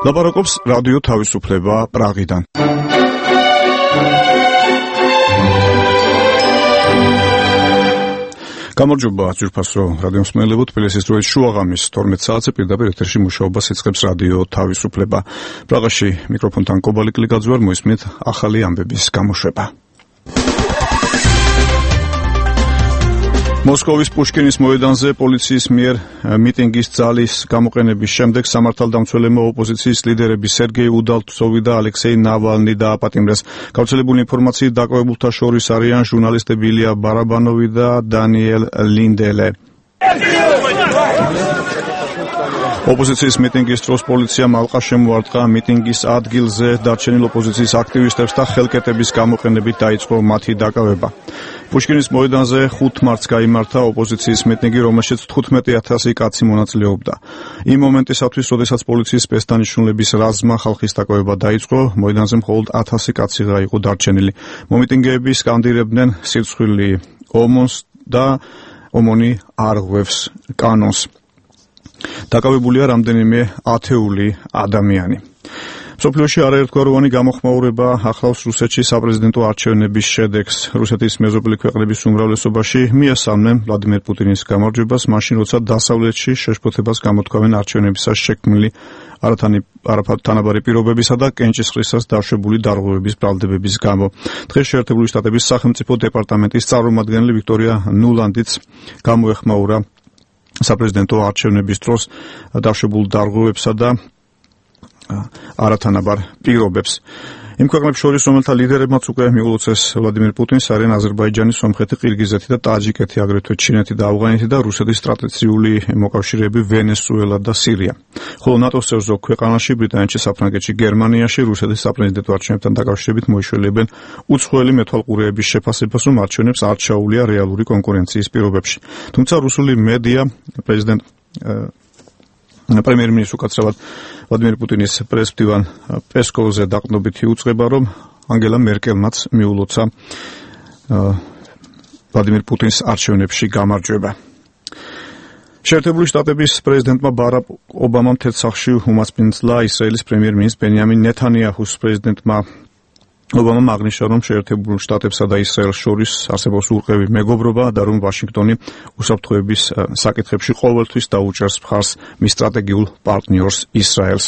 ლაპარაკობს რადიო თავისუფლება პრაღიდან. გამარჯობა ძვირფასო რადიო მსმენელებო, თბილისის დროით შუაღამის 12 საათზე პირდაპირ ეთერში მუშაობას იწყებს რადიო თავისუფლება. პრაღაში მიკროფონთან კობალი კლიკაძე ვარ, მოისმენთ ახალი ამბების გამოშვება. მოსკოვის პუშკინის მოედანზე პოლიციის მიერ მიტინგის ძალის გამოყენების შემდეგ სამართალდამცველებმა ოპოზიციის ლიდერები სერგეი უდალცოვი და ალექსეი ნავალნი დააპატიმრეს. გავრცელებული ინფორმაციით დაკვირვებულთა შორის არიან ჟურნალისტები ილია ბარაბანოვი და დანიელ ლინდელე. ოპოზიციის მიტინგის დროს პოლიციამ ალყა შემოარტყა მიტინგის ადგილზე დარჩენილ ოპოზიციის აქტივისტებს და ხელკეტების გამოყენებით დაიწყო მათი დაკავება. პუშკინის მოედანზე 5 მარტს გაიმართა ოპოზიციის მიტინგი, რომელშიც 15,000 კაცი მონაწილეობდა. იმ მომენტისათვის, როდესაც პოლიციის სპეცდანიშნულების რაზმმა ხალხის დაკავება დაიწყო, მოედანზე მხოლოდ 1000 კაციღა იყო დარჩენილი. მომიტინგეები სკანდირებდნენ სირცხვილი ომონს და ომონი არ ღვევს კანონს. დაკავებულია რამდენიმე ათეული ადამიანი. მსოფლიოში არაერთგვაროვანი გამოხმაურება ახლავს რუსეთში საპრეზიდენტო არჩევნების შედეგს. რუსეთის მეზობელი ქვეყნების უმრავლესობაში მიესალმნენ ვლადიმერ პუტინის გამარჯვებას, მაშინ როცა დასავლეთში შეშფოთებას გამოთქვამენ არჩევნებისას შექმნილი არათანაბარი პირობებისა და კენჭისყრისას დაშვებული დარღვევების ბრალდებების გამო. დღეს შეერთებული შტატების სახელმწიფო დეპარტამენტის წარმომადგენელი ვიქტორია ნულანდიც გამოეხმაურა საპრეზიდენტო არჩევნების დროს დაშვებულ დარღვევებსა და არათანაბარ პირობებს. იმ ქვეყნებს შორის, რომელთა ლიდერებმაც უკვე მიულოცეს ვლადიმერ პუტინს, არიან აზერბაიჯანი, სომხეთი, ყირგიზეთი და ტაჯიკეთი, აგრეთვე ჩინეთი და ავღანეთი და რუსეთის ტრადიციული მოკავშირეები ვენესუელა და სირია. ხოლო ნატოს წევრ ზოგ ქვეყანაში, ბრიტანეთში, საფრანგეთში, გერმანიაში რუსეთის საპრეზიდენტო არჩევნებთან დაკავშირებით მოიშველებენ უცხოელი მეთვალყურეების შეფასებას, რომ არჩევნებს არ ჩაუვლია რეალური კონკურენციის პირობებში. თუმცა რუსული მედია პრემიერ-მინისტრ უკაცრავად ვლადიმერ პუტინის პრესმდივან პესკოვზე დაყრდნობითი უწყება, რომ ანგელა მერკელმაც მიულოცა ვლადიმერ პუტინს არჩევნებში გამარჯვება. შეერთებული შტატების პრეზიდენტმა ბარაკ ობამამ თეთრ-სახლში უმასპინძლა ისრაელის პრემიერ-მინისტრ ბენიამინ ნეთანიაჰუს. პრეზიდენტმა ობამამ აღნიშნა, რომ შეერთებულ შტატებსა და ისრაელს შორის არსებობს ურყევი მეგობრობა და რომ ვაშინგტონი უსაფრთხოების საკითხებში ყოველთვის დაუჭერს მხარს მის სტრატეგიულ პარტნიორს ისრაელს.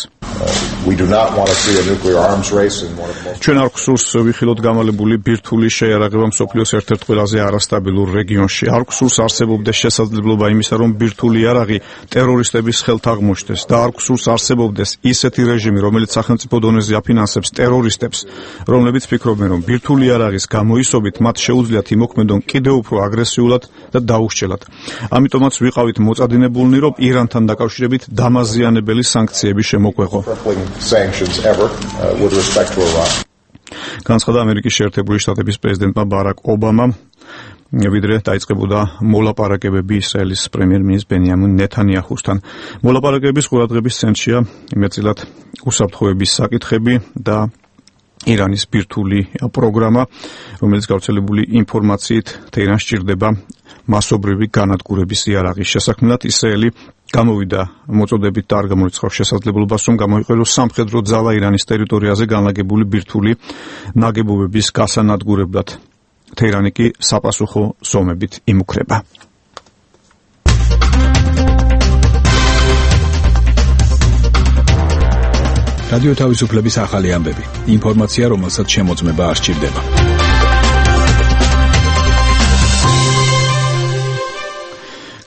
ჩვენ არ გვსურს ვიხილოთ გამალებული ბირთვული შეიარაღება მსოფლიოს ერთ-ერთ ყველაზე არასტაბილურ რეგიონში. არ გვსურს არსებობდეს შესაძლებლობა იმისა, რომ ბირთვული იარაღი ტერორისტების ხელთ აღმოჩნდეს და არ გვსურს არსებობდეს ისეთი რეჟიმი, რომელიც სახელმწიფო დონეზე აფინანსებს ტერორისტებს, რომლებიც ფიქრობენ, რომ ბირთვული იარაღის გამოისობით მათ შეუძლიათ იმოქმედონ კიდევ უფრო აგრესიულად და დაუსჯელად. ამიტომაც ვიყავით მოწადინებულნი, რომ ირანთან დაკავშირებით დამაზიანებელი სანქციები შემოგვეღო. განცხადა ამერიკის შეერთებული შტატების პრეზიდენტმა ბარაკ ობამამ, ვიდრე დაიწყებოდა მოლაპარაკებები ისრაელის პრემიერ-მინისტრ ბენიამინ ნეთანიაჰუსთან. მოლაპარაკებების ყურადღების ცენტრშია მეტწილად უსაფრთხოების საკითხები და ირანის ბირთვული პროგრამა, რომელიც გავრცელებული ინფორმაციით თეირანს სჭირდება მასობრივი განადგურების იარაღის შესაქმნელად. ისრაელი გამოვიდა მოწოდებით და არ გამოიცხავს შესაძლებლობას, რომ გამოიყენოს სამხედრო ძალა ირანის ტერიტორიაზე განლაგებული ბირთვული ნაგებობების გასანადგურებლად. თეირანი კი საპასუხო ზომებით იმუქრება. რადიო თავისუფლების ახალი ამბები. ინფორმაცია, რომელსაც შემოწმება არ სჭირდება.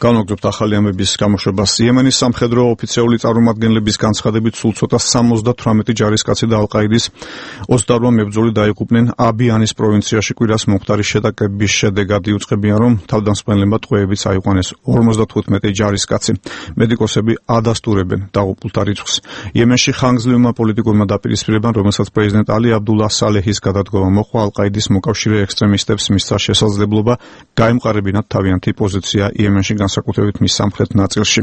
განვაგრძობთ ახალი ამბების გამოშვებას. იემენის სამხედრო ოფიციალური წარმომადგენლების განცხადებით სულ ცოტა 78 ჯარისკაცი და ალ-ყაიდის 28 მებრძოლი დაიღუპნენ აბიანის პროვინციაში კვირას მომხდარი შეტაკების შედეგად. იუწყებიან, რომ თავდამსხმელებმა ტყვეებით აიყვანეს 55 ჯარისკაცი. მედიკოსები ადასტურებენ დაღუპულთა რიცხვს. იემენში ხანგრძლივმა პოლიტიკურმა დაპირისპირებამ, რომელსაც პრეზიდენტ ალი აბდულა სალეჰის გადადგომა მოჰყვა, ალ-ყაიდის მოკავშირე ექსტრემისტებს მისცა შესაძლებლობა გაემყარებინათ თავიანთი პოზიცია იემენში, განსაკუთრებით მის სამხრეთ ნაწილში.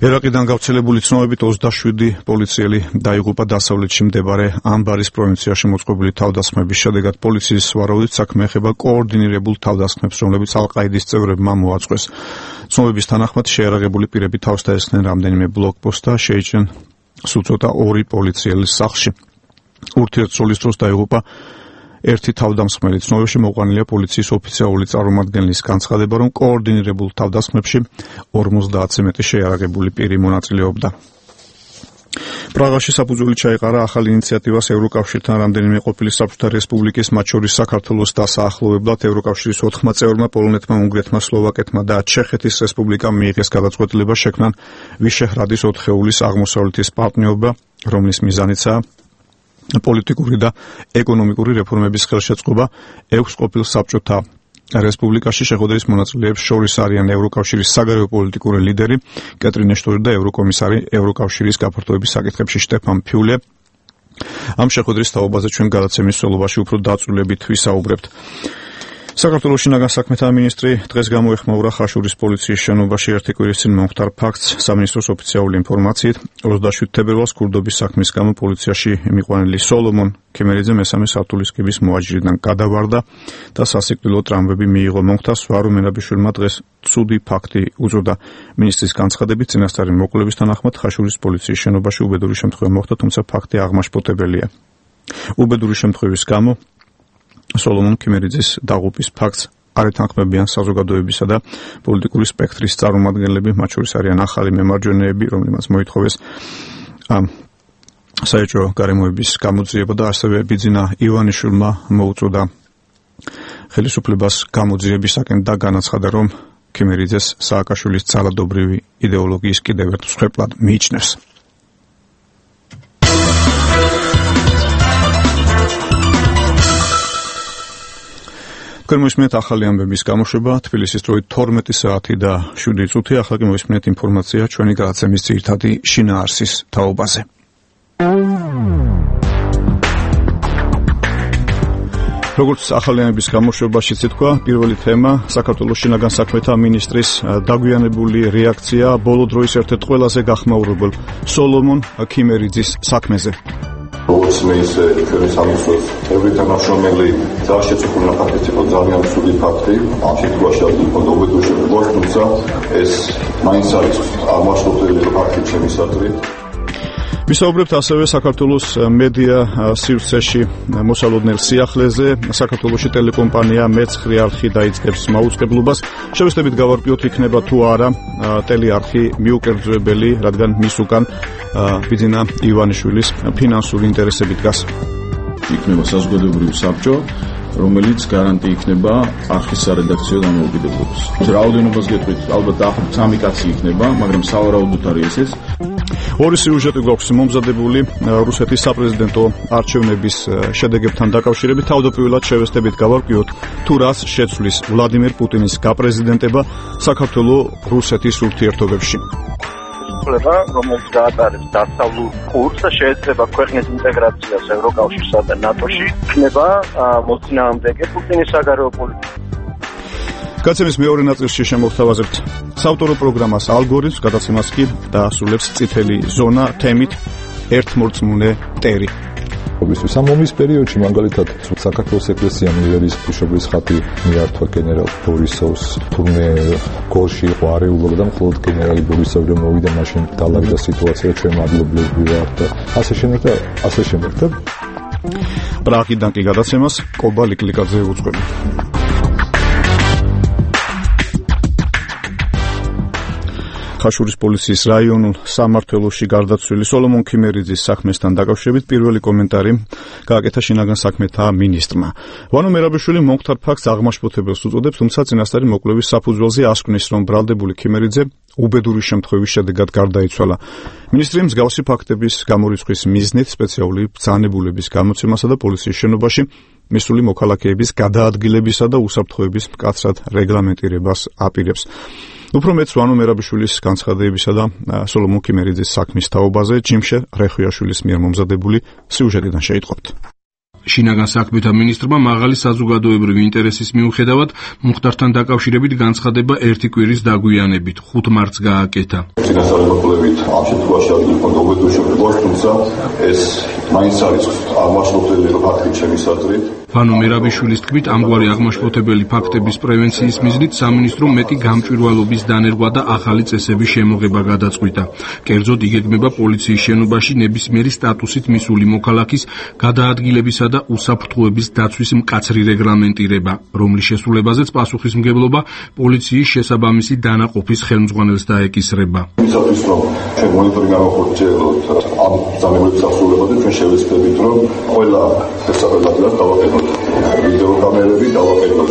ერაყიდან გავრცელებული ცნობებით 27 პოლიციელი დაიღუპა დასავლეთში მდებარე ამბარის პროვინციაში მოწყობილი თავდასხმების შედეგად. პოლიციის ვარაუდით საქმე ეხება კოორდინირებულ თავდასხმებს, რომლებიც ალ-ყაიდის წევრებმა მოაწყვეს. ცნობების თანახმად შეიარაღებული პირები თავს დაესხნენ რამდენიმე ბლოკპოსტს და შეიჭრნენ სუწოდა 2 პოლიციელის სახლში. ურთიერთსულის დროს დაიღუპა ერთი თავდამსხმელი. ცნობებში მოყვანილია პოლიციის ოფიციალური წარმომადგენლის განცხადება, რომ კოორდინირებულ თავდასხმებში 50-ზე მეტი შეიარაღებული პირი მონაწილეობდა. პრაღაში საფუძველი ჩაეყარა ახალ ინიციატივას ევროკავშირთან რამდენიმე ყოფილი საბჭოთა რესპუბლიკის, მათ შორის საქართველოს დასაახლოვებლად ევროკავშირის 4 წევრმა, პოლონეთმა, უნგრეთმა, სლოვაკეთმა და ჩეხეთის რესპუბლიკამ მიიღეს გადაწყვეტილება შექმნან ვიშეჰრადის 4-ხეულის აღმოსავლეთის პარტნიორობა, რომლის მიზანიცაა პოლიტიკური და ეკონომიკური რეფორმების ხელშეწყობა 6 ყოფილ საბჭოთა რესპუბლიკაში. შეხვედრის მონაწილეებს შორის არიან ევროკავშირის საგარეო პოლიტიკური ლიდერი კეტრინ ეშტონი და ევროკომისარი ევროკავშირის გაფართოების საკითხებში შტეფან ფიულე. ამ შეხვედრის თაობაზე ჩვენ გადაცემის სოლობაში უფრო დაწვრილებით ვისაუბრებთ. საქართველოს შინაგან საქმეთა მინისტრი დღეს გამოეხმაურა ხაშურის პოლიციის შენობაში ერთი კვირის წინ მომხდარ ფაქტს. სამინისტროს ოფიციალური ინფორმაციით 27 თებერვალს ქურდობის საქმის გამო პოლიციაში მიყვანილი სოლომონ ქემერიძე მესამე სართულის კიბის მოაჯირიდან გადავარდა და სასიკვდილო ტრამვები მიიღო. მომხდარს ვარო მერაბიშვილმა დღეს ცუდი ფაქტი უწოდა. მინისტრის განცხადებით წინასწარი მოკვლევის თანახმად ხაშურის პოლიციის შენობაში უბედური შემთხვევა მოხდა, თუმცა ფაქტი აღმაშფოთებელია. უბედური შემთხვევის გამო სოლომონ ქემერიძის დაღუპვის ფაქტს არ ეთანხმებიან საზოგადოებისა და პოლიტიკური სპექტრის წარმომადგენლები, მათ შორის არიან ახალი მემარჯვენეები, რომლებმაც მოითხოვეს საეჭვო გარემოების გამოძიება და ასევე ბიძინა ივანიშვილმა მოუწოდა ხელისუფლებას გამოძიებისაკენ და განაცხადა, რომ ქემერიძეს სააკაშვილის ძალადობრივი იდეოლოგიის კიდევ ერთ მსხვერპლად მიიჩნევს. მოისმინეთ ახალი ამბების გამოშვება, თბილისის დროით 12 საათი და 7 წუთი. ახლა კი მოისმინეთ ინფორმაცია ჩვენი გადაცემის ძირითადი შინაარსის თაობაზე. როგორც ახალი ამბების გამოშვებაში თქვა, პირველი თემა საქართველოს შინაგან საქმეთა მინისტრის დაგვიანებული რეაქცია ბოლო დროის ერთ-ერთ ყველაზე გახმაურებელ სოლომონ ქემერიძის საქმეზე. როგორც მე ისე ჩვენი სამინისტროს ერთ თანამშრომელი ძალშეწყვეტილ ფაქტიც იყო ძალიან ცუდი ფაქტი. ამ შემთხვევაში იყო უბედური შემთხვევა, თუმცა ეს მაინც არის აღმაშფოთებელი ფაქტი ჩემის აზრით. ვისაუბრებთ ასევე საქართველოს მედია სივრცეში მოსალოდნელ სიახლეზე. საქართველოში ტელეკომპანია მეცხრე არხი დაიწყებს მაუწყებლობას. შევეცდებით გავარკვიოთ, იქნება თუ არა ტელეარხი მიუკერძოებელი, რადგან მის უკან ბიძინა ივანიშვილის ფინანსური ინტერესები დგას. იქნება საზოგადოებრივი საბჭო, რომელიც გარანტი იქნება არხის სარედაქციო დამოუკიდებლობას. რაოდენობას გეტყვით, ალბათ დაახლოებით 3 კაცი იქნება, მაგრამ სავარაუდოდ არის ეს. ორი სიუჟეტი გვაქვს მომზადებული რუსეთის საპრეზიდენტო არჩევნების შედეგებთან დაკავშირებით. თავდაპირველად შევეცდებით გავარკვიოთ, თუ რას შეცვლის ვლადიმერ პუტინის გაპრეზიდენტება საქართველო-რუსეთის ურთიერთობებში. რომელიც გაატარებს დასავლურ კურსს, შეიძლება ქვეყნის ინტეგრაციას ევროკავშირსა და ნატოში, იქნება მოწინააღმდეგე პუტინის საგარეო პოლიტიკას. გაცემის მეორე ნაწილში შემოგთავაზებთ საავტორო პროგრამას ალგორითმს, გადაცემას კი დაასრულებს წითელი ზონა თემით ერთმორწმუნე ტერი. ამ ომის პერიოდში მაგალითად საქართველოს ეკლესიამ ივერიის ღვთისმშობლის ხატი მიართვა გენერალ ბორისოვს, თურმე გორში იყო არეულობა და მხოლოდ გენერალი ბორისოვი რომ მოვიდა, მაშინ დალაგდა სიტუაცია, ჩვენ მადლობლები ვართ და ასე შემდეგ და პრაღიდან კი გადაცემას კობა ლიკლიკაძე უძღვება. ხაშურის პოლიციის რაიონულ სამმართველოში გარდაცვლილი სოლომონ ქემერიძის საქმესთან დაკავშირებით პირველი კომენტარი გააკეთა შინაგან საქმეთა მინისტრმა. ვანო მერაბიშვილი მომხდარ ფაქტს აღმაშფოთებელს უწოდებს, თუმცა წინასწარი მოკვლევის საფუძველზე ასკვნის, რომ ბრალდებული ქემერიძე უბედური შემთხვევის შედეგად გარდაიცვალა. მინისტრი მსგავსი ფაქტების გამორიცხვის მიზნით სპეციალური ბრძანებულების გამოცემასა და პოლიციის შენობაში მისული მოქალაქეების გადაადგილებისა და უსაფრთხოების მკაცრად რეგლამენტირებას აპირებს. უფრო მეც ვანო მერაბიშვილის განცხადებისა და სოლომონ ქემერიძის საქმის თაობაზე ჯიმშე რეხვიაშვილის მიერ მომზადებული სიუჟეტიდან შეიტყობთ. შინაგან საქმეთა მინისტრმა მაღალი საზოგადოებრივი ინტერესის მიუხედავად მუხტართან დაკავშირებით განცხადება ერთი კვირის დაგვიანებით 5 მარტს გააკეთა. წინასწარმეტყველებით ამ შემთხვევაში ადგილი ჰქონდა უბედურებებს, თუმცა ეს მაინც არის აღმაშფოთებელი ფაქტი ჩემის აზრით. ფანო მერაბიშვილის თქმით, ამგვარი აღმაშფოთებელი ფაქტების პრევენციის მიზნით სამინისტრომ მეტი გამჭვირვალობის დანერგვა და ახალი წესების შემოღება გადაწყვიტა. კერძოდ იგეგმება პოლიციის შენობაში ნებისმიერი სტატუსით მისული მოქალაქის გადაადგილებისა და უსაფრთხოების დაცვის მკაცრი რეგლამენტირება, რომლის შესრულებაზეც პასუხისმგებლობა პოლიციის შესაბამისი დანაყოფის ხელმძღვანელს დაეკისრება. იმისათვის რომ ჩვენ მონიტორინგი გავახორციელოთ ამ ძალების ასრულებაზე, ჩვენ შევეცდებით რომ ყველა შესაძლებლობას დავაყენოთ ვიდეო კამერები, დავაყენოთ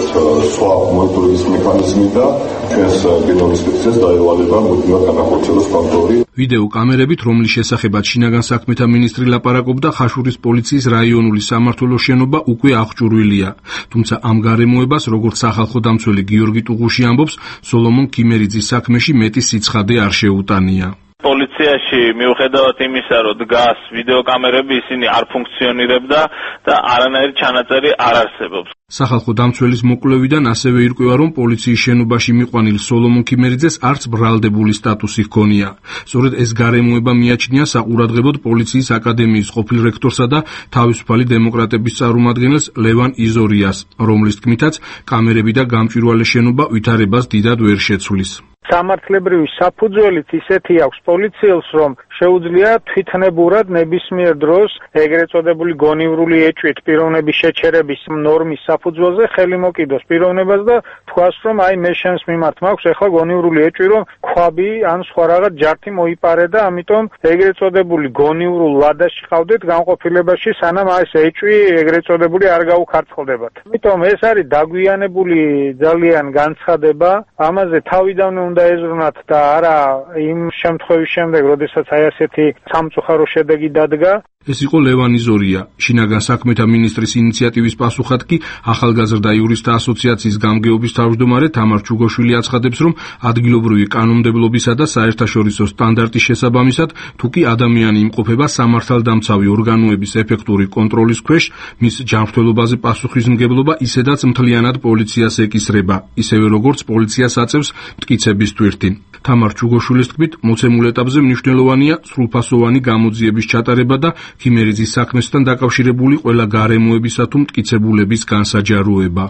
სხვა მონიტორინგის მექანიზმი და ჩვენს გენომის ინსპექციას დაევალება მუდმივად განახორციელოს კონტროლი. ვიდეო კამერებით, რომლის შესახებაც შინაგან საქმეთა მინისტრი ლაპარაკობდა, ხაშურის პოლიციის რაიონული სამმართველოს შენობა უკვე აღჭურვილია. თუმცა ამ გარემოებას, როგორც სახალხო დამცველი გიორგი ტუღუში ამბობს, სოლომონ ქიმერიძის საქმეში მეტი სიცხადე არ შეუტანია. პოლიციაში მიუხედავად იმისა, რომ დგას ვიდეოკამერები, ისინი არ ფუნქციონირებდა და არანაირი ჩანაწერი არ არსებობს. სახალხო დამცველის მოკვლევიდან ასევე ირკვევა, რომ პოლიციის შენობაში მიყვანილ სოლომონ ქიმერიძეს არც ბრალდებული სტატუსი ჰქონია. სწორედ ეს გარემოება მიაჩნია საყურადღებოდ პოლიციის აკადემიის ყოფილ რექტორსა და თავისუფალი დემოკრატების წარმომადგენელს ლევან იზორიას, რომლის თქმითაც კამერები და გამჭვირვალე შენობა ვითარებას დიდად ვერ შეცვლის. სამართლებრივი საფუძველით ისეთი აქვს პოლიციელს, რომ შეუძლია თვითნებურად ნებისმიერ დროს ეგრეთ წოდებული გონივრული ეჭვით პიროვნების შეჩერების ნორმის საფუძველზე ხელი მოკიდოს პიროვნებას და თქვას, რომ აი მე შენს მიმართ მაქვს ახლა გონივრული ეჭვი, რომ ქვაბი ან სხვა რაღაც ჯართი მოიპარე და ამიტომ ეგრეთ წოდებული გონივრულ ვადაში ყავდეთ განყოფილებაში, სანამ ეს ეჭვი ეგრეთ წოდებული არ გაუქარცხლდებათ. ამიტომ ეს არის დაგვიანებული ძალიან განცხადება, ამაზე თავიდანვე უნდა ეზრუნათ და არა იმ შემთხვევის შემდეგ, როდესაც აი ასეთი სამწუხარო შედეგი დადგა. ეს იყო ლევან იზორია, შინაგან საქმეთა მინისტრის ინიციატივის პასუხად კი ახალგაზრდა იურისტთა ასოციაციის გამგეობის თავმჯდომარე თამარ ჩუგოშვილი აცხადებს, რომ ადგილობრივი კანონმდებლობისა და საერთაშორისო სტანდარტის შესაბამისად, თუ კი ადამიანი იმყოფება სამართალდამცავი ორგანოების ეფექტური კონტროლის ქვეშ, მის ჯანმრთელობაზე პასუხისმგებლობა ისედაც მთლიანად პოლიციას ეკისრება, ისევე როგორც პოლიციას აწევს მტკიცების თვირთი. თამარ ჩუგოშვილის თქმით, მოცემულ ეტაპზე მნიშვნელოვანია სრულფასოვანი გამოძიების ჩატარება და ქიმერიძის საქმესთან დაკავშირებული ყველა გარემოებისა თუ მტკიცებულების განსაჯაროება.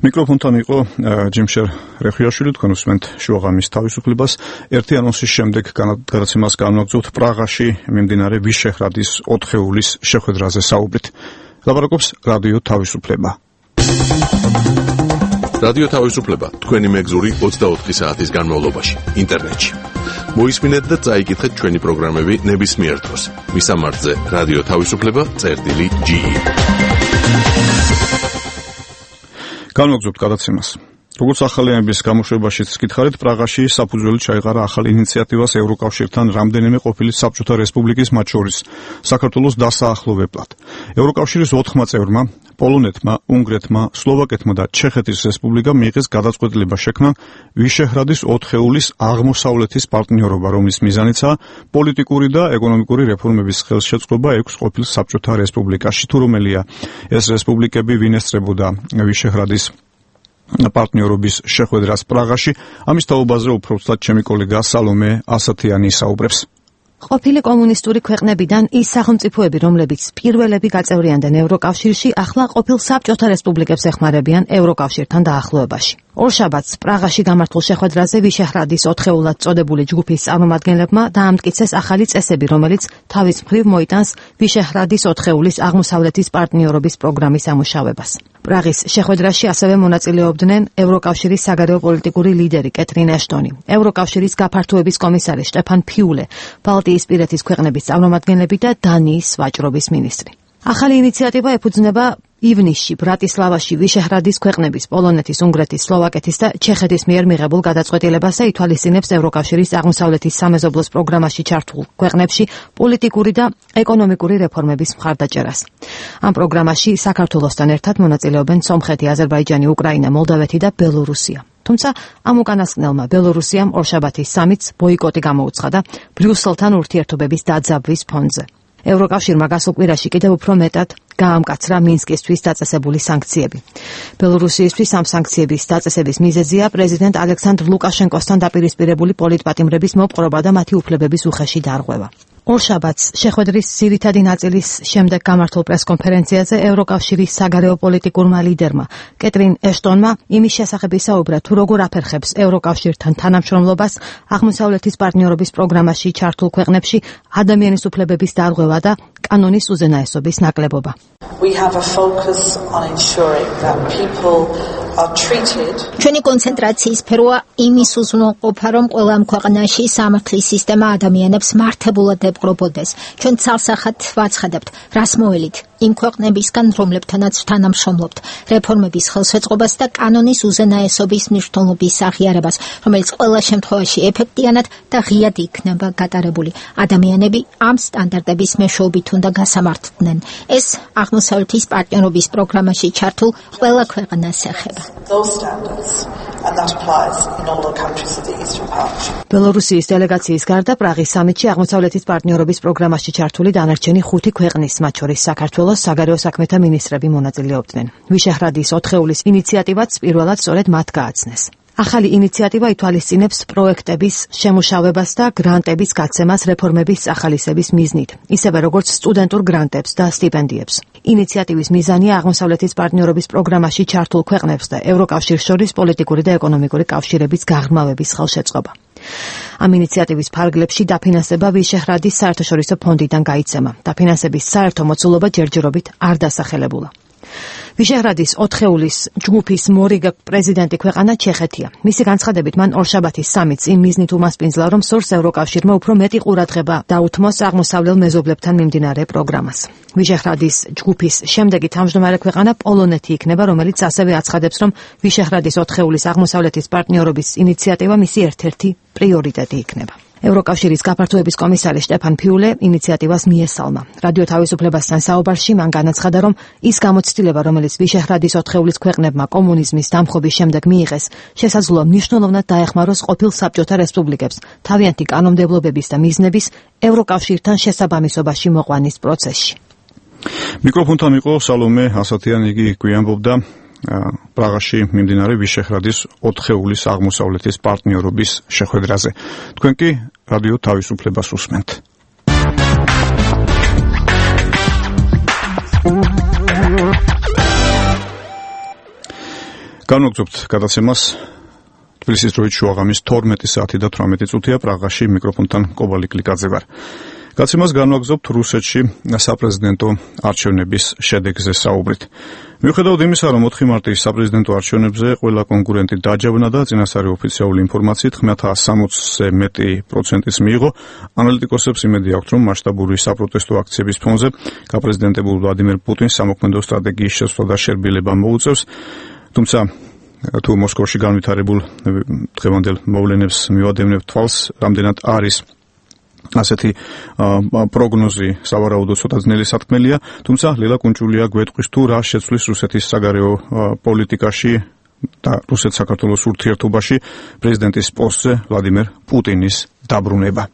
მიკროფონთან იყო ჯიმშერ რეხიაშვილი, თქვენ უსმენთ შუაღამის თავისუფლებას. ერთი ანონსის შემდეგ გადაცემას განვაგრძობთ პრაღაში მიმდინარე ვიშეჰრადის 4-ეულის შეხვედრაზე საუბრით. ლაპარაკობს რადიო თავისუფლება. რადიო თავისუფლება თქვენი მეგზური 24 საათის განმავლობაში ინტერნეტში. მოისმინეთ და წაიკითხეთ ჩვენი პროგრამები ნებისმიერ დროს. მისამართზე რადიო თავისუფლება.ge. განვაგრძობთ გადაცემას. როგორც ახალიანების გამოშვებაშიც გითხარით, პრაღაში საფუძველი ჩაეყარა ახალ ინიციატივას ევროკავშირთან რამდენიმე ყოფილი საბჭოთა რესპუბლიკის, მათ შორის საქართველოს დასაახლოვებლად. ევროკავშირის 4 წევრმა, პოლონეთმა, უნგრეთმა, სლოვაკეთმა და ჩეხეთის რესპუბლიკამ მიიღეს გადაწყვეტილება შექმნა ვიშეჰრადის 4-ეულის აღმოსავლეთის პარტნიორობა, რომლის მიზანიცაა პოლიტიკური და ეკონომიკური რეფორმების ხელშეწყობა 6 ყოფილ საბჭოთა რესპუბლიკაში. თუ რომელია ეს რესპუბლიკები, ვინ ესწრებოდა ვიშეჰრადის პარტნიორობის შეხვედრას პრაღაში, ამის თაობაზე უფრო ვცად ჩემი კოლეგა სალომე ასათიანი საუბრებს. ყოფილი კომუნისტური ქვეყნებიდან ის სახელმწიფოები, რომლებიც პირველები გაწევრიანდნენ ევროკავშირში, ახლა ყოფილ საბჭოთა რესპუბლიკებს ეხმარებიან ევროკავშირთან დაახლოებაში. ორშაბათს პრაღაში გამართულ შეხვედრაზე ვიშეჰრადის 4-ეულად წოდებული ჯგუფის წარმომადგენლებმა დაამტკიცეს ახალი წესები, რომელიც თავის მხრივ მოიტანს ვიშეჰრადის 4-ეულის აღმოსავლეთის პარტნიორობის პროგრამის ამუშავებას. პრაღის შეხვედრაში ასევე მონაწილეობდნენ ევროკავშირის საგარეო პოლიტიკური ლიდერი კეთრინ ეშტონი, ევროკავშირის გაფართოების კომისარი შტეფან ფიულე, ბალტიისპირეთის ქვეყნების წარმომადგენლები და დანიის ვაჭრობის მინისტრი. ახალი ინიციატივა ეფუძნება ივნისში ბრატისლავაში ვიშეჰრადის ქვეყნების, პოლონეთის, უნგრეთის, სლოვაკეთის და ჩეხეთის მიერ მიღებულ გადაწყვეტილებას და ითვალისწინებს ევროკავშირის აღმოსავლეთის სამეზობლოს პროგრამაში ჩართულ ქვეყნებში პოლიტიკური და ეკონომიკური რეფორმების მხარდაჭერას. ამ პროგრამაში საქართველოსთან ერთად მონაწილეობენ სომხეთი, აზერბაიჯანი, უკრაინა, მოლდავეთი და ბელორუსია. თუმცა ამ უკანასკნელმა ბელორუსიამ ორშაბათის სამიტს ბოიკოტი გამოუცხადა ბრიუსელთან ურთიერთობების დაძაბვის ფონზე. ევროკავშირმა გასულ კვირაში კიდევ უფრო მეტად გაამკაცრა მინსკისთვის დაწესებული სანქციები. ბელორუსიისთვის ამ სანქციების დაწესების მიზეზია პრეზიდენტ ალექსანდრ ლუკაშენკოსთან დაპირისპირებული პოლიტპატიმრების მოპყრობა და მათი უფლებების უხეში დარღვევა. ორშაბათს შეხვედრის ძირითადი ნაწილის შემდეგ გამართულ პრესკონფერენციაზე ევროკავშირის საგარეო პოლიტიკურმა ლიდერმა კეტრინ ეშტონმა იმის შესახებ ისაუბრა, თუ როგორ აფერხებს ევროკავშირთან თანამშრომლობას აღმოსავლეთის პარტნიორობის პროგრამაში ჩართულ ქვეყნებში ადამიანის უფლებების დარღვევა და კანონის უზენაესობის ნაკლებობა. ჩვენი კონცენტრაციის სფეროა იმის უზრუნველყოფა, რომ ყველა ამ ქვეყანაში სამართლის სისტემა ადამიანებს მართებულად ეპყრობოდეს. ჩვენ ცალსახად ვაცხადებთ, რას მოელით იმ ქვეყნებისგან, რომლებთანაც თანამშრომლობთ, რეფორმების ხელშეწყობას და კანონის უზენაესობის მნიშვნელობის აღიარებას, რომელიც ყველა შემთხვევაში ეფექტიანად და ღიად იქნება გატარებული. ადამიანები ამ სტანდარტების მეშვეობით უნდა გასამართლდნენ. ეს აღმოსავლეთის პარტნიორობის პროგრამაში ჩართულ ყველა ქვეყანას ეხება. ბელორუსიის დელეგაციის გარდა პრაღის სამიტში აღმოსავლეთის პარტნიორობის პროგრამაში ჩართული დანარჩენი 5 ქვეყნის, მათ შორის საქართველოს საგარეო საქმეთა მინისტრები მონაწილეობდნენ. ვიშეჰრადის 4-ეულის ინიციატივაც პირველად სწორედ მათ გააცნეს. ახალი ინიციატივა ითვალისწინებს პროექტების შემუშავებას და გრანტების გაცემას რეფორმების ახალისების მიზნით, ისევე როგორც სტუდენტურ გრანტებს და სტიპენდიებს. ინიციატივის მიზანია აღმოსავლეთის პარტნიორობის პროგრამაში ჩართულ ქვეყნებს და ევროკავშირს შორის პოლიტიკური და ეკონომიკური კავშირების გაღრმავების ხელშეწყობა. ამ ინიციატივის ფარგლებში დაფინანსება ვიშეჰრადის საერთაშორისო ფონდიდან გაიცემა. დაფინანსების საერთო მოცულობა ჯერჯერობით არ დასახელებულა. ვიშეჰრადის 4-ეულის ჯგუფის მორიგ პრეზიდენტი ქვეყანა ჩეხეთია. მისი განცხადებით მან ორშაბათის სამიტს იმ მიზნით უმასპინძლა, რომ სურს ევროკავშირმა უფრო მეტი ყურადღება დაუთმოს აღმოსავლელ მეზობლებთან მიმდინარე პროგრამას. ვიშეჰრადის ჯგუფის შემდეგი თავმჯდომარე ქვეყანა პოლონეთი იქნება, რომელიც ასევე აცხადებს, რომ ვიშეჰრადის 4-ეულის აღმოსავლეთის პარტნიორობის ინიციატივა მისი ერთ-ერთი პრიორიტეტი იქნება. ევროკავშირის გაფართოების კომისარი შტეფან ფიულე ინიციატივას მიესალმა. რადიო თავისუფლებასთან საუბარში მან განაცხადა, რომ ის გამოცდილება, რომელიც ვიშეჰრადის 4-ეულის ქვეყნებმა კომუნიზმის დამხობის შემდეგ მიიღეს, შესაძლოა მნიშვნელოვნად დაეხმაროს ყოფილ საბჭოთა რესპუბლიკებს თავიანთი კანონმდებლობების და მიზნების ევროკავშირთან შესაბამისობაში მოყვანის პროცესში. მიკროფონთან იყო სალომე ასათიანი, იგი გვიანბობდა პრაღაში მიმდინარე ვიშეჰრადის 4-ეულის აღმოსავლეთის პარტნიორობის შეხვედრაზე. თქვენ კი რადიო თავისუფლებას უსმენთ. განვაგრძობთ გადაცემას. თბილისის დროით შუაღამის 12 საათი და 18 წუთია. პრაღაში მიკროფონთან კობალი კლიკაძე ვარ. გადაცემას განვაგრძობთ რუსეთში საპრეზიდენტო არჩევნების შედეგზე საუბრით. მიუხედავად იმისა, რომ 4 მარტის საპრეზიდენტო არჩევნებზე ყველა კონკურენტი დაჯავნა და წინასწარი ოფიციალური ინფორმაციით 960-ზე მეტი პროცენტის მიიღო, ანალიტიკოსებს იმედი აქვთ, რომ მასშტაბური საპროტესტო აქციების ფონზე გაპრეზიდენტებულ ვლადიმერ პუტინს სამოქმედო სტრატეგიის შესწვლა და შერბილება მოუწევს. თუმცა თუ მოსკოვში განვითარებულ დღევანდელ მოვლენებს მივადევნებთ თვალს, რამდენად არის ასეთი პროგნოზი სავარაუდოდ ცოტა ძნელი სათქმელია, თუმცა ლელა კუნჭულია გვეტყვის თუ რა შეცვლის რუსეთის საგარეო პოლიტიკაში და რუსეთ-საქართველოს ურთიერთობაში პრეზიდენტის პოსტზე ვლადიმერ პუტინის დაბრუნება.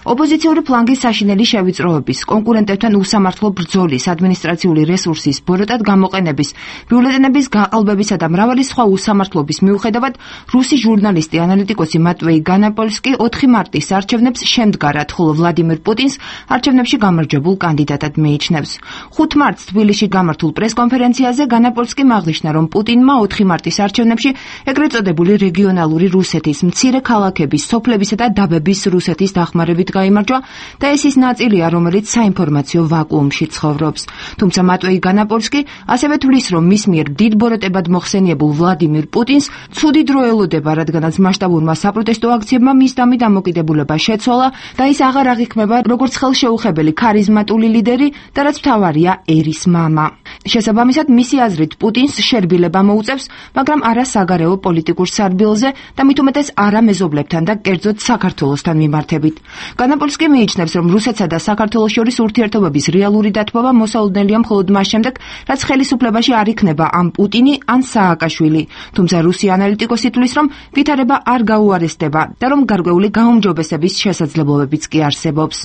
ოპოზიციური ფლანგის საშინელი შევიწროების, კონკურენტებთან უსამართლო ბრძოლის, ადმინისტრაციული რესურსის ბოროტად გამოყენების, ბიულეტენების გაყალბებისა და მრავალი სხვა უსამართლობის მიუხედავად, რუსი ჟურნალისტი ანალიტიკოსი მატვეი განაპოლსკი 4 მარტის არჩევნებს შემდგარად, ხოლო ვლადიმერ პუტინს არჩევნებში გამარჯვებულ კანდიდატად მიიჩნევს. 5 მარტს თბილისში გამართულ პრესკონფერენციაზე განაპოლსკი აღნიშნა, რომ პუტინმა 4 მარტის არჩევნებში ეგრეთ წოდებული რეგიონალური რუსეთის, მცირე ქალაქების, სოფლებისა და დაბების რუსეთის დახმარებით გაიმარჯვა და ეს ის ნაწილია, რომელიც საინფორმაციო ვაკუუმში ცხოვრობს. თუმცა მატვეი განაპოლსკი ასევე თვლის, რომ მის მიერ დიდ ბოროტებად მოხსენიებულ ვლადიმერ პუტინს ცუდი დრო ელოდება, რადგანაც მასშტაბურმა საპროტესტო აქციებმა მის დამი დამოკიდებულება შეცვალა და ის აღარ აღიქმება როგორც ხელშეუხებელი ქარიზმატული ლიდერი და რაც მთავარია ერის მამა. შესაბამისად, მისი აზრით პუტინს შერბილება მოუწევს, მაგრამ არა საგარეო პოლიტიკურ სარბილზე და მით უმეტეს არა მეზობლებთან და კერძოდ საქართველოსთან მიმართებით. განაპოლსკი მიიჩნევს, რომ რუსეთსა და საქართველოს შორის ურთიერთობების რეალური დათბობა მოსალოდნელია მხოლოდ მას შემდეგ, რაც ხელისუფლებაში არ იქნება ან პუტინი, ან სააკაშვილი. თუმცა რუსი ანალიტიკოსი თვლის, რომ ვითარება არ გაუარესდება და რომ გარკვეული გაუმჯობესების შესაძლებლობებიც კი არსებობს.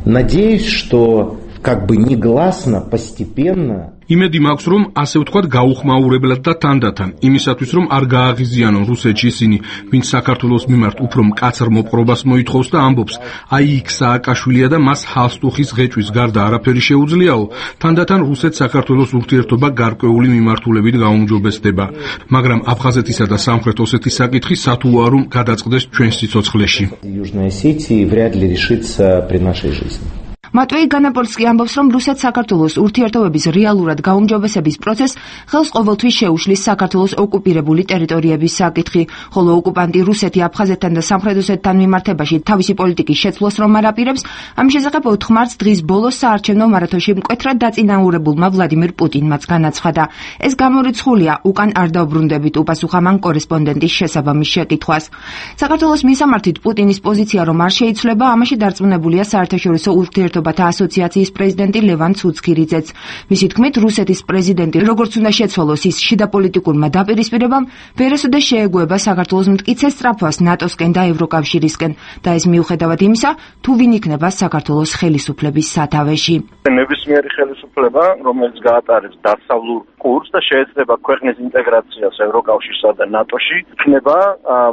Надеюсь, что как бы негласно, постепенно იმედი მაქვს, რომ ასე ვთქვათ, გაუხმაურებლად და თანდათან, იმისათვის, რომ არ გააღიზიანონ რუსეთში ისინი, ვინც საქართველოს მიმართ უფრო მკაცრ მოპყრობას მოითხოვს და ამბობს, აი იქ სააკაშვილია და მას ჰალსტუხის ღეჭვის გარდა არაფერი შეუძლიაო, თანდათან რუსეთს საქართველოს ურთიერთობა გარკვეული მიმართულებით გაუმჯობესდება. მაგრამ აფხაზეთისა და სამხრეთ ოსეთის საკითხი სათუაა რომ გადაწყდეს ჩვენს სიცოცხლეში. Южной Осетии вряд ли решится при нашей жизни. მატვეი განაპოლსკი ამბობს, რომ რუსეთ-საქართველოს ურთიერთობების რეალურად გაუმჯობესების პროცესს ხელს ყოველთვის შეუშლის საქართველოს ოკუპირებული ტერიტორიების საკითხი, ხოლო ოკუპანტი რუსეთი აფხაზეთთან და სამხრეთ ოსეთთან მიმართებაში თავისი პოლიტიკის შეცვლას რომ არ აპირებს, ამ შესახებ 4 მარტს დღის ბოლოს საარჩევნო მარათონში მკვეთრად დაწინაურებულმა ვლადიმირ პუტინმაც განაცხადა. ეს გამორიცხულია უკან არ დავბრუნდებით, უპასუხა მან კორესპონდენტის შესაბამის შეკითხვას. საქართველოს მისამართით პუტინის პოზიცია რომ არ შეიცვლება, ამაში დარწმუნებულია საერთაშორისო ურთიერთობათა ასოციაციის პრეზიდენტი ლევან ცუცქირიძეც. მისი თქმით, რუსეთის პრეზიდენტი როგორც უნდა შეცვალოს ის შიდა პოლიტიკურმა დაპირისპირებამ, ვერასოდეს შეეგუება საქართველოს მტკიცე სწრაფვას ნატოსკენ და ევროკავშირისკენ და ეს მიუხედავად იმისა, თუ ვინ იქნება საქართველოს ხელისუფლების სათავეში. ნებისმიერი ხელისუფლება, რომელიც გაატარებს დასავლურ კურსს და შეეცდება ქვეყნის ინტეგრაციას ევროკავშირსა და ნატოში, იქნება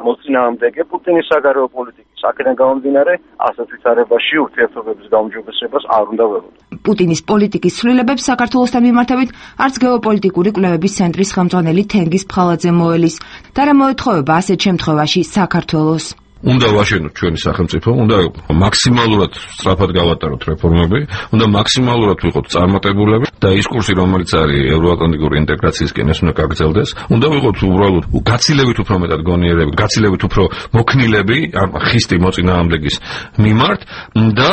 მოწინააღმდეგე პუტინის საგარეო პოლიტიკის. აქედან გამომდინარე, ასეთ ვითარებაში ურთიერთობების გაუმჯობესებას არ უნდა ველოდოთ. პუტინის პოლიტიკის ცვლილებებს საქართველოსთან მიმართებით არც გეოპოლიტიკური კვლევების ცენტრის ხელმძღვანელი თენგიზ ფხალაძე მოელის და რა მოეთხოვება ასეთ შემთხვევაში საქართველოს. უნდა ვაშენოთ ჩვენი სახელმწიფო, უნდა მაქსიმალურად სწრაფად გავატაროთ რეფორმები, უნდა მაქსიმალურად ვიყოთ წარმატებულები და ის კურსი, რომელიც არის ევროატლანტიკური ინტეგრაციისკენ, ეს უნდა გაგრძელდეს. უნდა ვიყოთ უბრალოდ გაცილებით უფრო მეტად გონიერები, გაცილებით უფრო მოქნილები ამ ხისტი მოწინააღმდეგის მიმართ და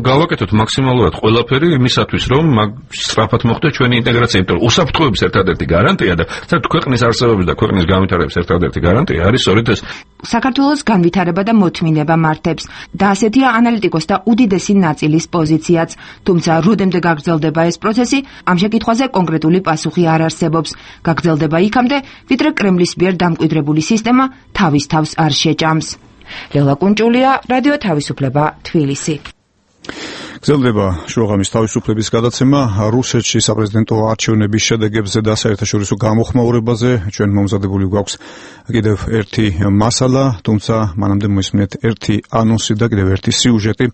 გავაკეთოთ მაქსიმალურად ყველაფერი იმისათვის, რომ სწრაფად მოხდეს ჩვენი ინტეგრაცია, იმიტომ რომ უსაფრთხოების ერთადერთი გარანტია და საერთოდ ქვეყნის არსებობის და ქვეყნის განვითარების ერთადერთი გარანტია არის სწორედ ეს. საქართველოს განვითარება და მოთმინება მართებს და ასეთია ანალიტიკოსთა უდიდესი ნაწილის პოზიციაც, თუმცა როდემდე გაგრძელდება ეს პროცესი, ამ შეკითხვაზე კონკრეტული პასუხი არ არსებობს. გაგრძელდება იქამდე, ვიდრე კრემლის მიერ დამკვიდრებული სისტემა თავის თავს არ შეჭამს. ლელა კუნჭულია, რადიო თავისუფლება, თბილისი. გრძელდება შუაღამის თავისუფლების გადაცემა რუსეთში საპრეზიდენტო არჩევნების შედეგებზე და საერთაშორისო გამოხმაურებაზე. ჩვენ მომზადებული გვაქვს კიდევ ერთი მასალა, თუმცა მანამდე მოისმინეთ ერთი ანონსი და კიდევ ერთი სიუჟეტი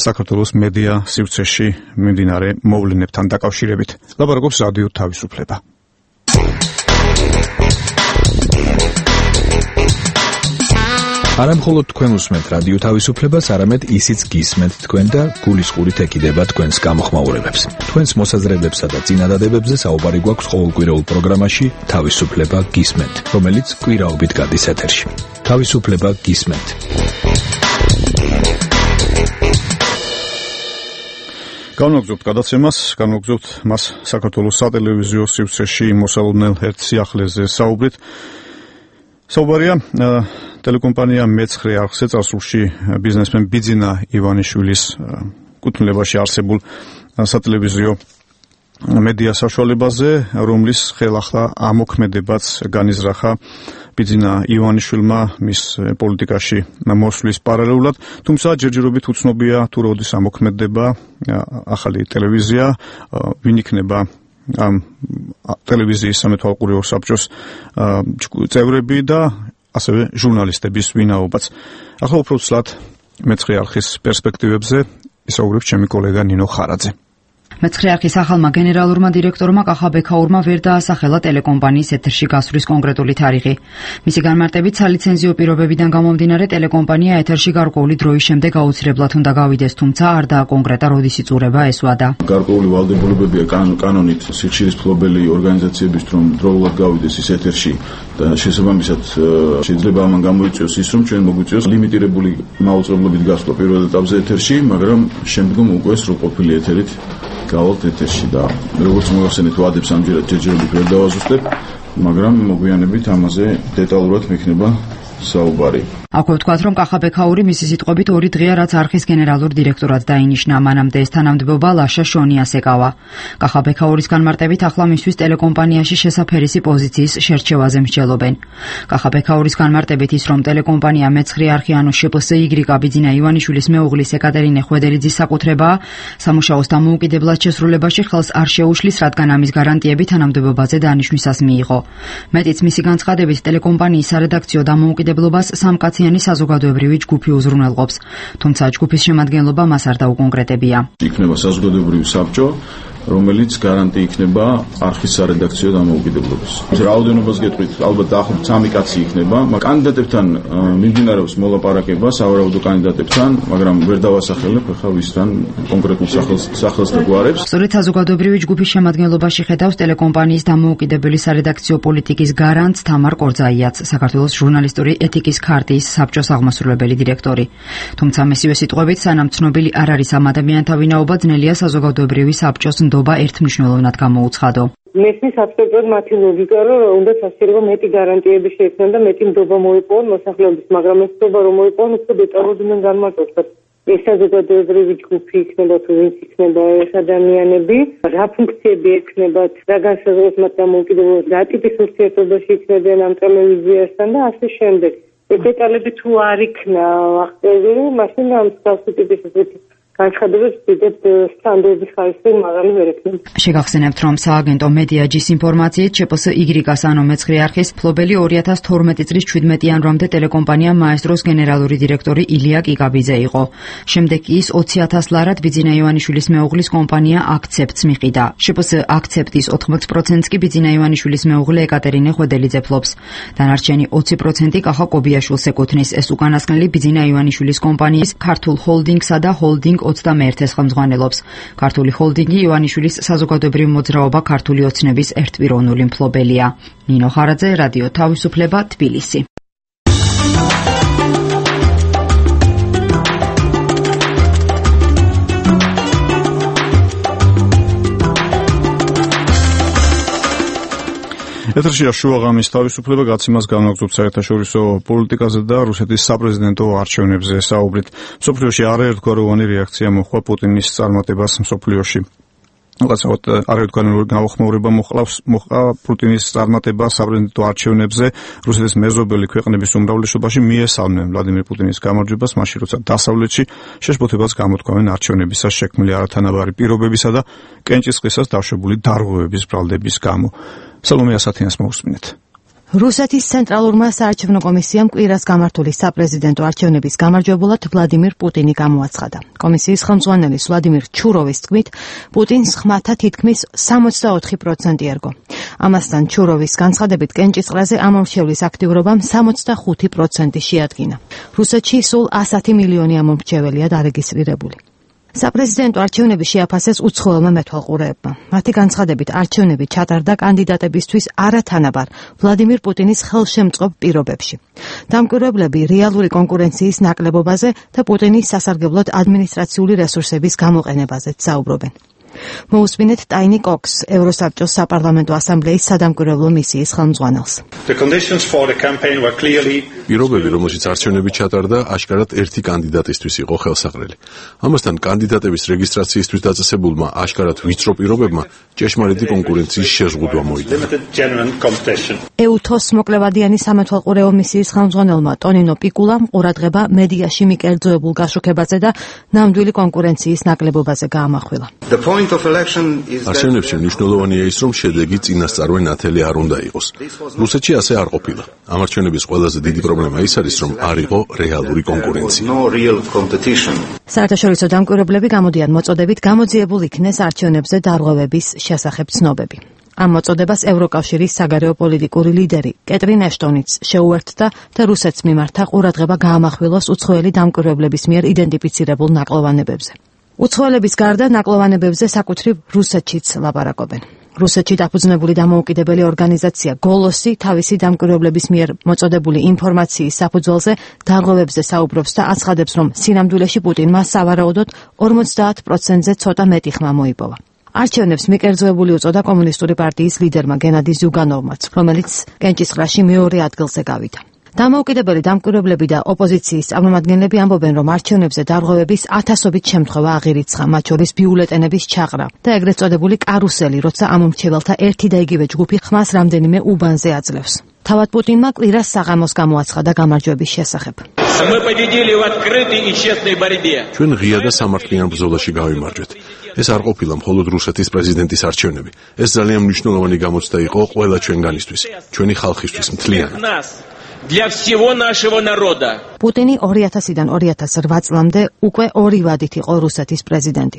საქართველოს მედია სივრცეში მიმდინარე მოვლენებთან დაკავშირებით. ლაპარაკობს რადიო თავისუფლება. არა მხოლოდ თქვენ უსმენთ რადიო თავისუფლებას, არამედ ისიც გისმენთ თქვენ და გულისყურით ეკიდება თქვენს გამოხმაურებებს. თქვენს მოსაზრებებსა და წინადადებებზე საუბარი გვაქვს ყოველკვირეულ პროგრამაში თავისუფლება გისმენთ, რომელიც კვირაობით გადის ეთერში. თავისუფლება გისმენთ. განვაგრძობთ გადაცემას, განვაგრძობთ მას საქართველოს სატელევიზიო სივრცეში მოსალოდნელ ერთ სიახლეზე საუბრით. საუბარია ტელეკომპანია მეცხრე არხზე წარსულში ბიზნესმენ ბიძინა ივანიშვილის კუთვნილებაში არსებულ სატელევიზიო მედია საშუალებაზე, რომლის ხელახლა ამოქმედებაც განიზრახა ბიძინა ივანიშვილმა მის პოლიტიკაში მოსვლის პარალელურად, თუმცა ჯერჯერობით უცნობია თუ როდის ამოქმედება ახალი ტელევიზია, ვინ იქნება ამ ტელევიზიის სამეთვალყურეო საბჭოს წევრები და ასევე ჟურნალისტების ვინაობაც. ახლა უფრო ცლად მეცხრე არხის პერსპექტივებზე ისაუბრებს ჩემი კოლეგა ნინო ხარაძე. მეცხრე არხის ახალმა გენერალურმა დირექტორმა კახაბექაურმა ვერ დაასახელა ტელეკომპანიის ეთერში გასვლის კონკრეტული თარიღი. მისი განმარტებით, სალიცენზიო პირობებიდან გამომდინარე ტელეკომპანია ეთერში გარკვეული დროის შემდეგ აუცილებლად უნდა გავიდეს, თუმცა არ დააკონკრეტა როდის იწურება ეს ვადა. გარკვეული ვალდებულებებია კანონით სიხშირისფლობელი ორგანიზაციების რომ დროულად გავიდეს ის ეთერში და შესაბამისად შეიძლება ამან გამოიწვიოს ის, რომ ჩვენ მოგვიწვიოს ლიმიტირებული მაუწყებლობით გასვლა პირველ ეტაპზე ეთერში, მაგრამ შემდგომ უკვე სრულყოფილი ეთერით გავალთ ეთერში და როგორც მოგახსენეთ, ვადებს ამჯერად ჯერჯერობით ვერ დავაზუსტებ, მაგრამ მოგვიანებით ამაზე დეტალურად მექნება საუბარი. აქვე ვთქვათ, რომ კახაბექაური მისი სიტყვებით 2 დღეა რაც არხის გენერალურ დირექტორად დაინიშნა, მანამდე ეს თანამდებობა ლაშა შონიას ეკავა. კახაბექაურის განმარტებით ახლა მისთვის ტელეკომპანიაში შესაფერისი პოზიციის შერჩევაზე მსჯელობენ. კახაბექაურის განმარტებით ის, რომ ტელეკომპანია მე-9 არხი ანუ შპსი ბიძინა ივანიშვილის მეუღლის ეკატერინე ხვედელიძის საკუთრებაა, სამუშაოს დამოუკიდებლად შესრულებაში ხელს არ შეუშლის, რადგან ამის გარანტიები თანამდებობაზე დანიშვნისას მიიღო. მეტიც მისი განცხადებით, ტელეკომპანიის სარედაქციო დამოუკიდებლობას სამკაციანი საზოგადოებრივი ჯგუფი უზრუნველყოფს, თუმცა ჯგუფის შემადგენლობა მას არ დაუკონკრეტებია. იქნება საზოგადოებრივი საბჭო, რომელიც გარანტი იქნება არხის სარედაქციო დამოუკიდებლობის. რაოდენობას გეტყვით, ალბათ დაახლოებით 3 კაცი იქნება, კანდიდატებთან მიმდინარეობს მოლაპარაკება სავარაუდო კანდიდატებთან, მაგრამ ვერ დავასახელებ ახლა ვისთან კონკრეტულ სახელს და გვარებს. სწორედ საზოგადოებრივი ჯგუფის შემადგენლობაში ხედავს ტელეკომპანიის დამოუკიდებელი სარედაქციო პოლიტიკის გარანტს თამარ კორძაიაც, საქართველოს ჟურნალისტური ეთიკის ქარტიის საბჭოს აღმასრულებელი დირექტორი. თუმცა მისივე სიტყვებით, სანამ ცნობილი არ არის ამ ადამიანთა ვინაობა, ძნელია საზოგადოებრივი საბჭოს ერთმნიშვნელოვნად გამოუცხადო. მესმის აბსოლუტურად მათი ლოგიკა, რომ უნდა სასწრაფო მეტი გარანტიები შეექმნან და მეტი ნდობა მოიპოვონ მოსახლეობის, მაგრამ ეს ნდობა რომ მოიპოვონ, უფრო დეტალურდნენ განმარტოთ. ეს საზოგადოებრივი ჯგუფი იქნება თუ ვინც იქნება ეს ადამიანები, რა ფუნქციები ექნებათ, რა განსაზღვროს მათ დამოუკიდებლობას, რა ტიპის ურთიერთობაში იქნებიან ამ ტელევიზიასთან და ასე შემდეგ. ეს დეტალები თუ არ იქნა აღწერილი, მაშინ ამ მსგავსი ტიპის განცხადებებს დიდად სტანდარტის ხარისხი მაღალი ვერ ექნება. შეგახსენებთ, რომ სააგენტო მედიაჯის ინფორმაციით შპსი ანუ მე-9 არხის ფლობელი 2012 წლის 17 იანვრამდე ტელეკომპანია მაესტროს გენერალური დირექტორი ილია კიკაბიძე იყო. შემდეგ კი ის 20,000 ლარად ბიძინა ივანიშვილის მეუღლის კომპანია აქცეპტს მიყიდა. შპსი აქცეპტის 80%-ს კი ბიძინა ივანიშვილის მეუღლე ეკატერინე ხვედელიძე ფლობს. დანარჩენი 20% კახა კობიაშვილს ეკუთვნის. ეს უკანასკნელი ბიძინა ივანიშვილის კომპანიის ქართულ ჰოლდინგსა და ჰოლდინგ 21-ს ხელმძღვანელობს. ქართული ჰოლდინგი ივანიშვილის საზოგადოებრივი მოძრაობა ქართული ოცნების ერთპიროვნული მფლობელია. ნინო ხარაძე, რადიო თავისუფლება, თბილისი. ეთერშია შუა ღამის თავისუფლება, გაცემას განაგრძობთ საერთაშორისო პოლიტიკაზე და რუსეთის sapprezidento არჩევნებზე საუბრით. მსოფლიოში არაერთგვაროვანი რეაქცია მოჰყვა პუტინის წარმატებას მსოფლიოში. რაღაცაოდ არაერთგვაროვანი გამოხმაურება მოჰყვა პუტინის წარმატება საპრეზიდენტო არჩევნებზე. რუსეთის მეზობელი ქვეყნების უმრავლესობაში მიესალმნენ ვლადიმერ პუტინის გამარჯვებას, მაშინ როცა დასავლეთში შეშფოთებას გამოთქვამენ არჩევნებისას შექმნილი არათანაბარი პირობებისა და კენჭისყრისას დაშვებული დარღვევების ბრალდების გამო. სალომე ასათიანს მოусმინეთ. რუსეთის ცენტრალურმა საარჩევნო კომისიამ კვირას გამართული საპრეზიდენტო არჩევნების გამარჯვებულად ვლადიმერ პუტინი გამოაცხადა. კომისიის ხელმძღვანელის ვლადიმერ ჩუროვის თქმით, პუტინს ხმათა თითქმის 64% ერგო. ამასთან ჩუროვის განცხადებით კენჭისყრაზე ამომრჩევლის აქტიურობამ 65% შეადგინა. რუსეთში სულ 110 მილიონი ამომრჩეველია დარეგისტრირებული. საპრეზიდენტო არჩევნები შეაფასეს უცხოელმა მეთვალყურეებმა. მათი განცხადებით არჩევნები ჩატარდა კანდიდატებისთვის არათანაბარ ვლადიმერ პუტინის ხელშემწყობ პირობებში. დამკვირვებლები რეალური კონკურენციის ნაკლებობაზე და პუტინის სასარგებლოდ ადმინისტრაციული რესურსების გამოყენებაზეც საუბრობენ. მოусმინეთ ტაინი კოქს, ევროსაბჭოს საპარლამენტო ასამბლეის სადამკვირვებლო მისიის ხელმძღვანელს. პირობები, რომელშიც არჩევნები ჩატარდა, აშკარად ერთი კანდიდატისთვის იყო ხელსაყრელი. ამასთან კანდიდატების რეგისტრაციისთვის დაწესებულმა აშკარად ვიწრო პირობებმა ჭეშმარიტი კონკურენციის შეზღუდვა მოიგონა. ეუთოს მოკლევადიანი სამეთვალყურეო მისიის ხელმძღვანელმა ტონინო პიკულამ ყურადღება მედიაში მიკერძოებულ გაშუქებაზე და ნამდვილი კონკურენციის ნაკლებობაზე გაამახვილა. არჩევნებში მნიშვნელოვანია ის, რომ შედეგი წინასწარვე ნათელი არ უნდა იყოს. რუსეთში ასე არ ყოფილა. ამ არჩევნების ყველაზე დიდი პრობლემა ის არის, რომ არ იყო რეალური კონკურენცია. საერთაშორისო დამკვირვებლები გამოდიან მოწოდებით გამოძიებულ იქნეს არჩევნებზე დარღვევების შესახებ ცნობები. ამ მოწოდებას ევროკავშირის საგარეო პოლიტიკური ლიდერი კეტრინ ეშტონიც შეუერთდა და რუსეთს მიმართა ყურადღება გაამახვილოს უცხოელი დამკვირვებლების მიერ იდენტიფიცირებულ ნაკლოვანებებზე. უცხოელების გარდა ნაკლოვანებებზე საკუთრივ რუსეთშიც ლაპარაკობენ. რუსეთში დაფუძნებული დამოუკიდებელი ორგანიზაცია გოლოსი თავისი დამკვირვებლების მიერ მოწოდებული ინფორმაციის საფუძველზე დარღვევებზე საუბრობს და აცხადებს, რომ სინამდვილეში პუტინმა სავარაუდოდ 50%-ზე ცოტა მეტი ხმა მოიპოვა. არჩევნებს მიკერძოებული უწოდა კომუნისტური პარტიის ლიდერმა გენადი ზუგანოვმაც, რომელიც კენჭისყრაში მეორე ადგილზე გავიდა. დამოუკიდებელი დამკვირვებლები და ოპოზიციის წარმომადგენლები ამბობენ, რომ არჩევნებზე დარღვევების ათასობით შემთხვევა აღირიცხა, მათ შორის ბიულეტენების ჩაღრა და ეგრეთ წოდებული კარუსელი, როცა ამ მრჩეველთა ერთი და იგივე ჯგუფი ხმას რამდენიმე უბანზე აძლევს. თავად პუტინმა კვირას საღამოს გამოაცხადა გამარჯვების შესახებ. ჩვენ ღია და სამართლიან ბრძოლაში გავიმარჯვეთ. ეს არ ყოფილა მხოლოდ რუსეთის პრეზიდენტის არჩევნები. ეს ძალიან მნიშვნელოვანი გამოცდა იყო ყველა ჩვენგანისთვის, ჩვენი ხალხისთვის მთლიანად. Для всего нашего народа. პუტინი 2000-დან 2008 წლამდე უკვე 2 ვადით იყო რუსეთის პრეზიდენტი.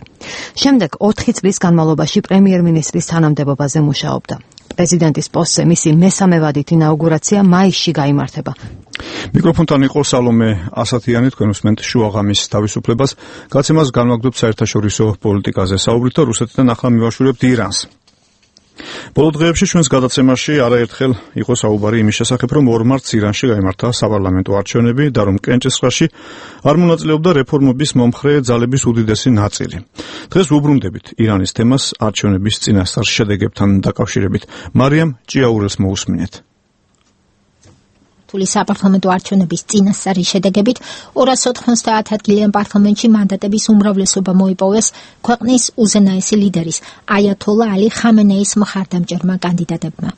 შემდეგ 4 წლის განმავლობაში პრემიერ-მინისტრის თანამდებობაზე მუშაობდა. პრეზიდენტის პოსტზე მისი მესამე ვადით ინაუგურაცია მაისში გაიმართება. მიკროფონთან იყო სალომე ასათიანი, თქვენ უსმენთ შუაღამის თავისუფლებას. გაცემას განვაგრძობთ საერთაშორისო პოლიტიკაზე საუბრით და რუსეთთან ახლა მივაშურებთ ირანს. ბოლო დღეებში ჩვენს გადაცემაში არაერთხელ იყო საუბარი იმის შესახებ, რომ 2 მარტს ირანში გაიმართა საპარლამენტო არჩევნები და რომ კენჭისყრაში არ მონაწილეობდა რეფორმების მომხრე ძალების უდიდესი ნაწილი. დღეს ვუბრუნდებით ირანის თემას არჩევნების წინასწარ შედეგებთან დაკავშირებით. მარიამ ჭიაურელს მოусმინეთ. რუსული საპარლამენტო არჩევნების წინასწარი შედეგებით 290 ადგილიან პარლამენტში მანდატების უმრავლესობა მოიპოვეს ქვეყნის უზენაესი ლიდერის აიათოლა ალი ხამენეის მხარდამჭერმა კანდიდატებმა.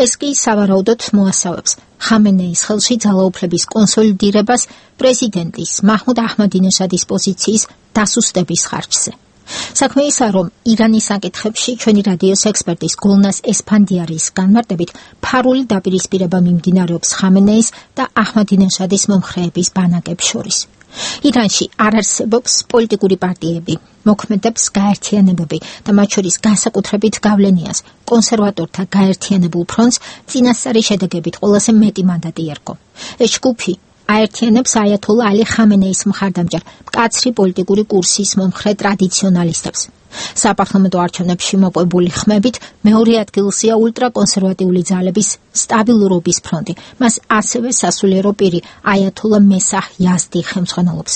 ეს კი სავარაუდოდ მოასწავებს ხამენეის ხელში ძალაუფლების კონსოლიდირებას პრეზიდენტის მაჰმუდ აჰმადინეჟადის პოზიციის დასუსტების ხარჯზე. საქმე ისაა, რომ ირანის საკითხებში ჩვენი რადიოს ექსპერტის გულნას ესფანდიარის განმარტებით ფარული დაპირისპირება მიმდინარეობს ხამენეის და აჰმადინეჟადის მომხრეების ბანაკებს შორის. ირანში არ არსებობს პოლიტიკური პარტიები, მოქმედებს გაერთიანებები და მათ შორის განსაკუთრებით გავლენიას კონსერვატორთა გაერთიანებულ ფრონტს წინასწარი შედეგებით ყველაზე მეტი მანდატი ერგო. ეს ჯგუფი აერთიანებს აიათოლა ალი ხამენეის მხარდამჭერ მკაცრი პოლიტიკური კურსის მომხრე ტრადიციონალისტებს. საპარლამენტო არჩევნებში მოპოვებული ხმებით მეორე ადგილზეა ულტრაკონსერვატიული ძალების სტაბილურობის ფრონტი. მას ასევე სასულიერო პირი აიათოლა მესაჰ იაზდი ხელმძღვანელობს.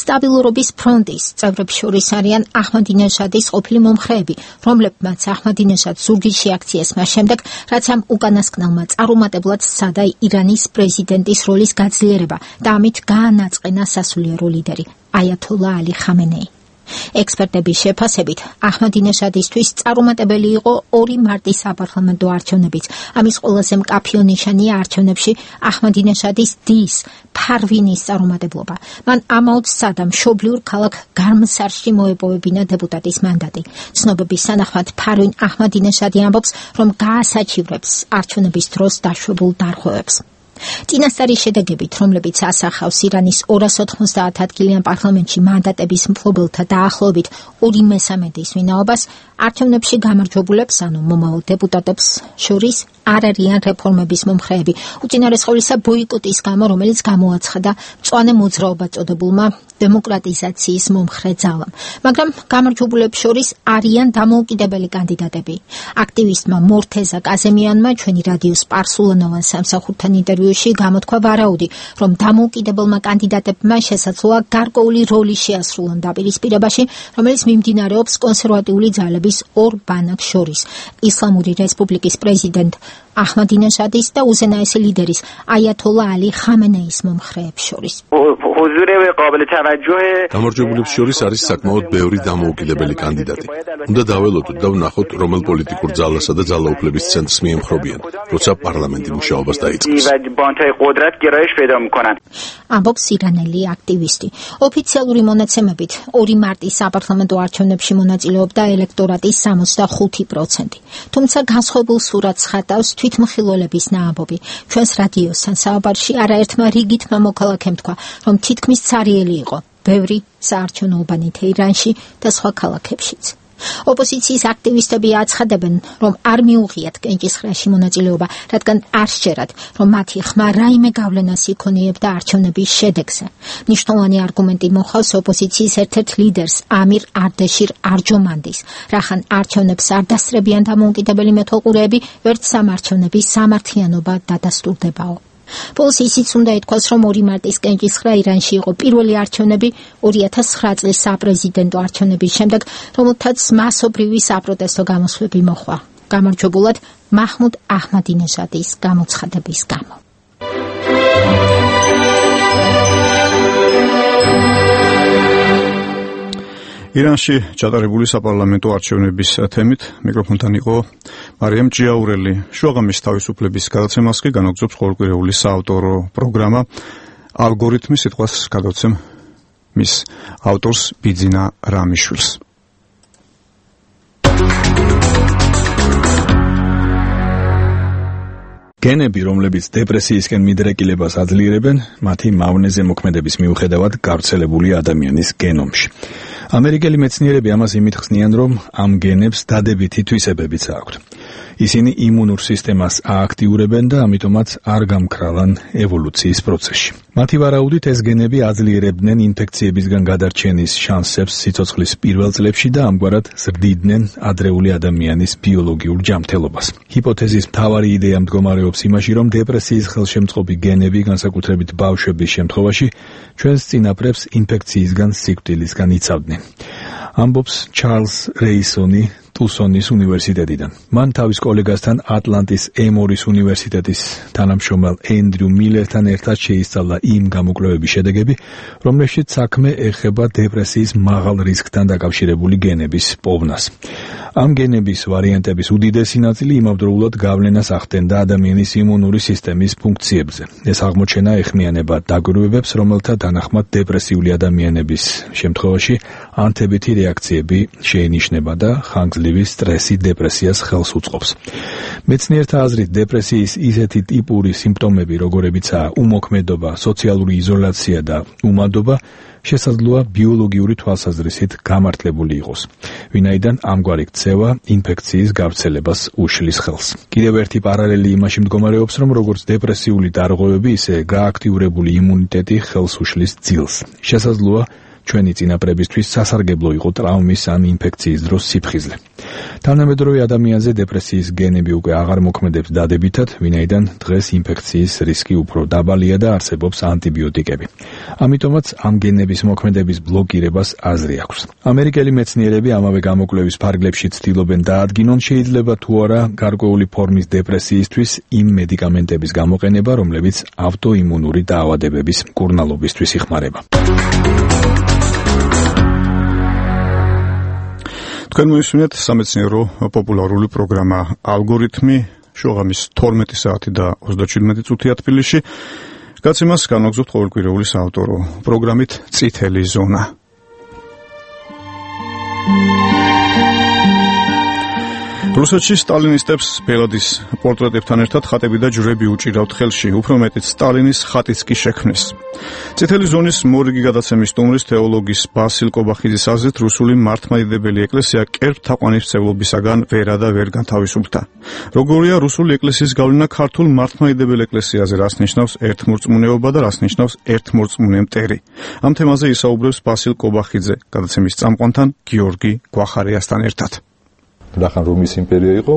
სტაბილურობის ფრონტის წევრებს შორის არიან აჰმადინეჟადის ყოფილი მომხრეები, რომლებმაც აჰმადინეჟადს ზურგის შეაქციეს მას შემდეგ, რაც ამ უკანასკნელმა წარუმატებლად სცადა ირანის პრეზიდენტის როლის გაძლიერება და ამით გაანაწყენა სასულიერო ლიდერი აიათოლა ალი ხამენეი. ექსპერტების შეფასებით, აჰმადინეჟადისთვის წარუმატებელი იყო 2 მარტის საპარლამენტო არჩევნებიც. ამის ყველაზე მკაფიო ნიშანია არჩევნებში აჰმადინეჟადის დის ფარვინის წარუმატებლობა. მან ამაოდ სცადა მშობლიურ ქალაქ გარმსარში მოეპოვებინა დეპუტატის მანდატი. ცნობების თანახმად ფარვინ აჰმადინეჟადი ამბობს, რომ გაასაჩივრებს არჩევნების დროს დაშვებულ დარღვევებს. წინასწარი შედეგებით, რომლებიც ასახავს ირანის 290 ადგილიან პარლამენტში მანდატების მფლობელთა დაახლოებით 2/3 ვინაობას, არჩევნებში გამარჯვებულებს, ანუ მომავალ დეპუტატებს შორის არ არიან რეფორმების მომხრეები, უწინარესყოლისა ბოიკოტის გამო, რომელიც გამოაცხადა მწვანე მოძრაობა წოდებულმა დემოკრატიზაციის მომხრე ძალამ. მაგრამ გამარჯვებულებს შორის არიან დამოუკიდებელი კანდიდატები. აქტივისტმა მორთეზა კაზემიანმა ჩვენი რადიოს პარსულანოვან სამსახურთან ინტერვიუში გამოთქვა ვარაუდი, რომ დამოუკიდებელმა კანდიდატებმა შესაძლოა გარკვეული როლი შეასრულონ დაპირისპირებაში, რომელიც მიმდინარეობს კონსერვატიული ძალების 2 ბანაკს შორის, ისლამური რესპუბლიკის პრეზიდენტ აჰმადინეჟადის და უზენაესი ლიდერის აიათოლა ალი ხამენეის მომხრეებს შორის. გამარჯვებულებს შორის არის საკმაოდ ბევრი დამოუკიდებელი კანდიდატი. უნდა დაველოდოთ და ვნახოთ, რომელ პოლიტიკურ ძალასა და ძალაუფლების ცენტრს მიემხრობიან, როცა პარლამენტი მუშაობას დაიწყებს. ამბობს ირანელი აქტივისტი. ოფიციალური მონაცემებით 2 მარტის საპარლამენტო არჩევნებში მონაწილეობდა ელექტორატის 65%. თუმცა განსხვავებულ სურათს ხატავს თვითმხილველების ნაამბობი. ჩვენს რადიოსთან საუბარში არაერთმა რიგითმა მოქალაქემ თქვა, რომ თითქმის ცარიელი იყო ბევრი საარჩევნო უბანი თეირანში და სხვა ქალაქებშიც. ოპოზიციის აქტივისტები აცხადებენ, რომ არ მიუღიათ კენჭისყრაში მონაწილეობა, რადგან არ სჯერათ, რომ მათი ხმა რაიმე გავლენას იქონიებდა არჩევნების შედეგზე. მნიშვნელოვანი არგუმენტი მოჰყავს ოპოზიციის ერთ-ერთ ლიდერს ამირ არდეშირ არჯომანდის, რახან არჩევნებს არ დასწრებიან დამოუკიდებელი მეთვალყურეები, ვერც სამარჩევნების სამართლიანობა დადასტურდებაო. ბოლოს ისიც უნდა ითქვას, რომ 2 მარტის კენჭისყრა ირანში იყო პირველი არჩევნები 2009 წლის საპრეზიდენტო არჩევნების შემდეგ, რომელთაც მასობრივი საპროტესტო გამოსვლები მოხდა. გამარჯვებულად მაჰმუდ აჰმადინეჟადის გამოცხადების გამო. ირანში ჩატარებული საპარლამენტო არჩევნების თემით მიკროფონთან იყო მარიამ ჯიაურელი. შუაღამის თავისუფლების გადაცემას კი განაგრძობს ყოველკვირეული საავტორო პროგრამა ალგორითმი. სიტყვას გადავცემ მის ავტორს ბიძინა რამიშვილს. გენები, რომლებიც დეპრესიისკენ მიდრეკილებას აძლიერებენ, მათი მავნეზე მოქმედების მიუხედავად გავრცელებული ადამიანის გენომში. ამერიკელი მეცნიერები ამას იმით ხსნიან, რომ ამ გენებს დადებითი თვისებებიც აქვთ. ისინი იმუნურ სისტემას ააქტიურებენ და ამიტომაც არ გამქრალან ევოლუციის პროცესში. მათი ვარაუდით ეს გენები აძლიერებდნენ ინფექციებისგან გადარჩენის შანსებს სიცოცხლის პირველ წლებში და ამგვარად ზრდიდნენ ადრეული ადამიანის ბიოლოგიურ ჯანმრთელობას. ჰიპოთეზის მთავარი იდეა მდგომარეობს იმაში, რომ დეპრესიის ხელშემწყობი გენები, განსაკუთრებით ბავშვების შემთხვევაში, ჩვენს წინაპრებს ინფექციისგან სიკვდილისგან იცავდნენ. ამბობს ჩარლზ რეისონი ტუსონის უნივერსიტეტიდან. მან თავის კოლეგასთან ატლანტის ემორის უნივერსიტეტის თანამშრომელ ენდრიუ მილერთან ერთად შეისწავლა იმ გამოკვლევების შედეგები, რომლებშიც საქმე ეხება დეპრესიის მაღალ რისკთან დაკავშირებული გენების პოვნას. ამ გენების ვარიანტების უდიდესი ნაწილი იმავდროულად გავლენას ახდენდა ადამიანის იმუნური სისტემის ფუნქციებზე. ეს აღმოჩენა ეხმიანება დაკვირვებებს, რომელთა თანახმად დეპრესიული ადამიანების შემთხვევაში ანთებითი რეაქციები შეინიშნება და ხანგრძლივი სტრესი დეპრესიას ხელს უწყობს. მეცნიერთა აზრით, დეპრესიის ისეთი ტიპური სიმპტომები, როგორებიცაა უმოქმედობა, სოციალური იზოლაცია და უმადობა, შესაძლოა ბიოლოგიური თვალსაზრისით გამართლებული იყოს, ვინაიდან ამგვარი ქცევა ინფექციის გავრცელებას უშლის ხელს. კიდევ ერთი პარალელი იმაში მდგომარეობს, რომ როგორც დეპრესიული დარღვევები, ისე გააქტიურებული იმუნიტეტი ხელს უშლის ძილს. შესაძლოა ჩვენი წინაპრებისთვის სასარგებლო იყო ტრავმის ან ინფექციის დროს სიფხიზლე. თანამედროვე ადამიანზე დეპრესიის გენები უკვე აღარ მოქმედებს დადებითად, ვინაიდან დღეს ინფექციის რისკი უფრო დაბალია და არსებობს ანტიბიოტიკები. ამიტომაც ამ გენების მოქმედების ბლოკირებას აზრი აქვს. ამერიკელი მეცნიერები ამავე გამოკვლევის ფარგლებში ცდილობენ დაადგინონ, შეიძლება თუ არა გარკვეული ფორმის დეპრესიისთვის იმ მედიკამენტების გამოყენება, რომლებიც ავტოიმუნური დაავადებების მკურნალობისთვის იხმარება. თქვენ მოისმინეთ სამეცნიერო პოპულარული პროგრამა ალგორითმი. შუაღამის 12 საათი და 37 წუთია თბილისში. გაცემას განაგრძობთ ყოველკვირეული საავტორო პროგრამით წითელი ზონა. რუსეთში სტალინისტებს ბელადის პორტრეტებთან ერთად ხატები და ჯვრები უჭირავთ ხელში, უფრო მეტიც სტალინის ხატიც კი შექმნეს. წითელი ზონის მორიგი გადაცემის სტუმრის თეოლოგის ბასილ კობახიძის აზრით, რუსული მართლმადიდებელი ეკლესია კერპ თაყვანისმცემლობისაგან ვერა და ვერ განთავისუფლდა. როგორია რუსული ეკლესიის გავლენა ქართულ მართლმადიდებელ ეკლესიაზე, რას ნიშნავს ერთმორწმუნეობა და რას ნიშნავს ერთმორწმუნე მტერი. ამ თემაზე ისაუბრებს ბასილ კობახიძე, გადაცემის წამყვანთან გიორგი გვახარიასთან ერთად. რახან რომის იმპერია იყო,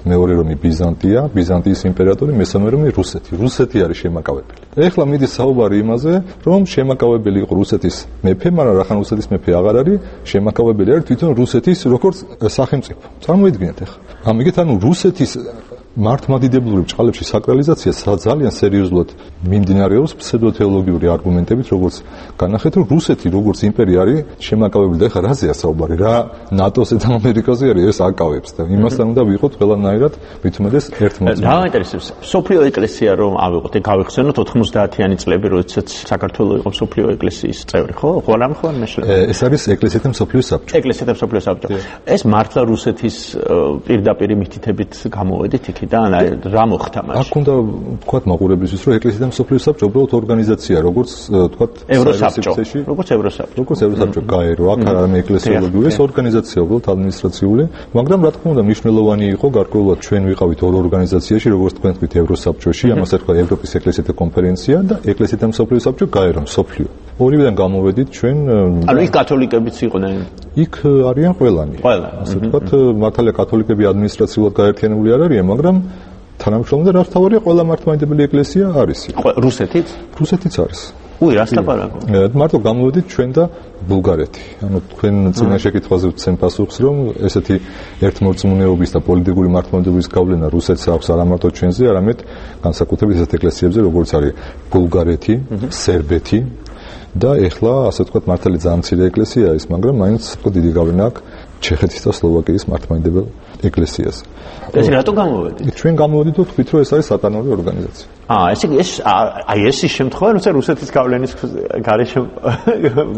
მეორე რომი ბიზანტია, ბიზანტიის იმპერატორი, მესამე რომი რუსეთი. რუსეთი არის შემაკავებელი. ეხლა მიდის საუბარი იმაზე, რომ შემაკავებელი იყო რუსეთის მეფე, მაგრამ რახან რუსეთის მეფე აღარ არის, შემაკავებელი არის თვითონ რუსეთის როგორც სახელმწიფო. წარმოიდგინეთ ეხლა. ამიგეთ ანუ რუსეთის მართლმადიდებლური ბრჭყალებში საკრალიზაცია ძალიან სერიოზულად მიმდინარეობს ფსევდოთეოლოგიური არგუმენტებით, როგორც განახეთ, რომ რუსეთი როგორც იმპერია არის შემაკავებელი და ეხლა რაზეა საუბარი, რა ნატოზე და ამერიკაზე არის ეს აკავებს და იმასთან უნდა ვიყოთ ყველანაირად მithumedes ერთმოწმე. რა მაინტერესებს სოფლიო ეკლესია რომ ავიღოთ და გავიხსენოთ 90-იანი წლები, როდესაც საქართველოს იყო სოფლიო ეკლესიის წევრი, ხო? ყველამ ხო მეშლე. ეს არის ეკლესიათა მსოფლიო საბჭო. ეკლესიათა მსოფლიო საბჭო. ეს მართლა რუსეთის პირდაპირ მითითებით გამოვედით იქ და რა მოხდა მაშინ? აქ უნდა ვთქვათ მაყურებლისთვის, რომ ეკლესიათა მსოფლიო საბჭო უბრალოდ ორგანიზაცია, როგორც ვთქვათ ევროსაბჭო, როგორც ევროსაბჭო გაერო, აქ არ არის ეკლესიოლოგიური, ეს ორგანიზაცია უბრალოდ ადმინისტრაციული, მაგრამ რა თქმა უნდა მნიშვნელოვანი იყო გარკვეულად ჩვენ ვიყავით ორ ორგანიზაციაში, როგორც თქვენ თქვით ევროსაბჭოში, ამას ერქვა ევროპის ეკლესიათა კონფერენცია და ეკლესიათა მსოფლიო საბჭო გაერო მსოფლიო. ორივიდან გამოვედით ჩვენ. ანუ იქ კათოლიკებიც იყვნენ. იქ არიან ყველანი. ასე ვთქვათ, მართალია კათოლიკები ადმინისტრაციულად გაერთიანებული არ არიან, მაგრამ თანამშრომლობენ და რა თავარია ყველა მართლმადიდებელი ეკლესია არის. რუსეთიც? რუსეთიც არის. უი, რას ლაპარაკობ? მარტო გამოვედით ჩვენ და ბულგარეთი. ანუ თქვენ წინა შეკითხვაზე ვცემ პასუხს, რომ ესეთი ერთმორწმუნეობის და პოლიტიკური მართლმადიდებლობის გავლენა რუსეთს აქვს არა მარტო ჩვენზე, არამედ განსაკუთრებით ესეთ ეკლესიებზე, როგორც არის ბულგარეთი, სერბეთი და ეხლა ასე ვთქვათ მართალი ძალიან მცირე ეკლესია ის, მაგრამ მაინც დიდი გავლენა აქვს ჩეხეთის და სლოვაკიის მართლმადიდებელ ეკლესიას. ეს რატო გამოვედით? ჩვენ გამოვედით და თქვით, რომ ეს არის სატანური ორგანიზაცია. ეს ის შემთხვევა, როცა რუსეთის გავლენის გარეშე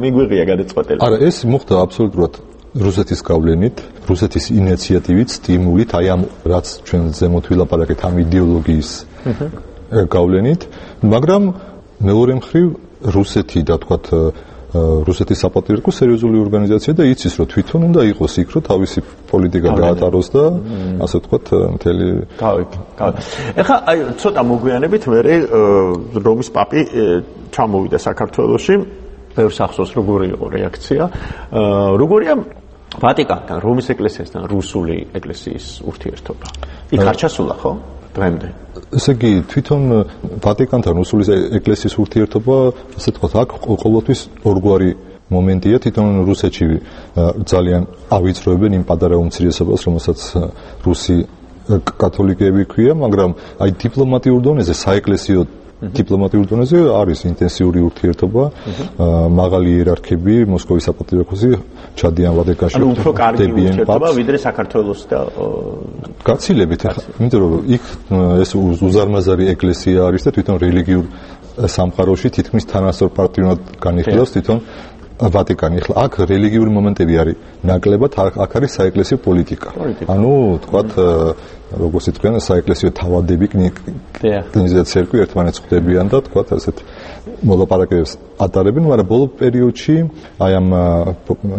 მიგვიღია გადაწყვეტილება. არა, ეს მოხდა აბსოლუტურად რუსეთის გავლენით, რუსეთის ინიციატივით, სტიმულით, აი ამ რაც ჩვენ ზემოთ ვილაპარაკეთ ამ იდეოლოგიის გავლენით, მაგრამ მეორე მხრივ რუსეთი და თქვათ რუსეთის საპატრიარქო სერიოზული ორგანიზაცია და იცის რომ თვითონ უნდა იყოს იქ რომ თავისი პოლიტიკა გაატაროს და ასე ვთქვათ მთელი ეხლა აი ცოტა მოგვიანებით მე რომის პაპი ჩამოვიდა საქართველოში ბევრს ახსოვს როგორი იყო რეაქცია როგორია ვატიკანთან რომის ეკლესიასთან რუსული ეკლესიის ურთიერთობა იქ არ ჩასულა ხო დღემდე ესე იგი თვითონ ვატიკანთან რუსული ეკლესიის ურთიერთობა ასე ვთქვათ აქ ყოველთვის ორგვარი მომენტია თვითონ რუსეთში ძალიან ავიწროებენ იმ პატარა უმცირესობას რომელსაც რუსი კათოლიკეები ქვია მაგრამ აი დიპლომატიურ დონეზე საეკლესიო დიპლომატიურ დონეზე არის ინტენსიური ურთიერთობა მაღალი იერარქები მოსკოვის საპატრიარქოსი ჩადიან ვატიკანში ანუ უფრო კარგი ურთიერთობა ვიდრე საქართველოს და გაცილებით იმიტომ რომ იქ ეს უზარმაზარი ეკლესია არის და თვითონ რელიგიურ სამყაროში თითქმის თანასწორ პარტნიორად განიხილავს თვითონ ვატიკანი. ახლა აქ რელიგიური მომენტები არის ნაკლებად, აქ არის საეკლესიო პოლიტიკა. ანუ თქვათ როგორც იტყვიან საეკლესიო თავადები კნიზა ცერკვი ერთმანეთს ხვდებიან და თქვათ ასეთ მოლაპარაკებებს ატარებენ, მაგრამ ბოლო პერიოდში აი ამ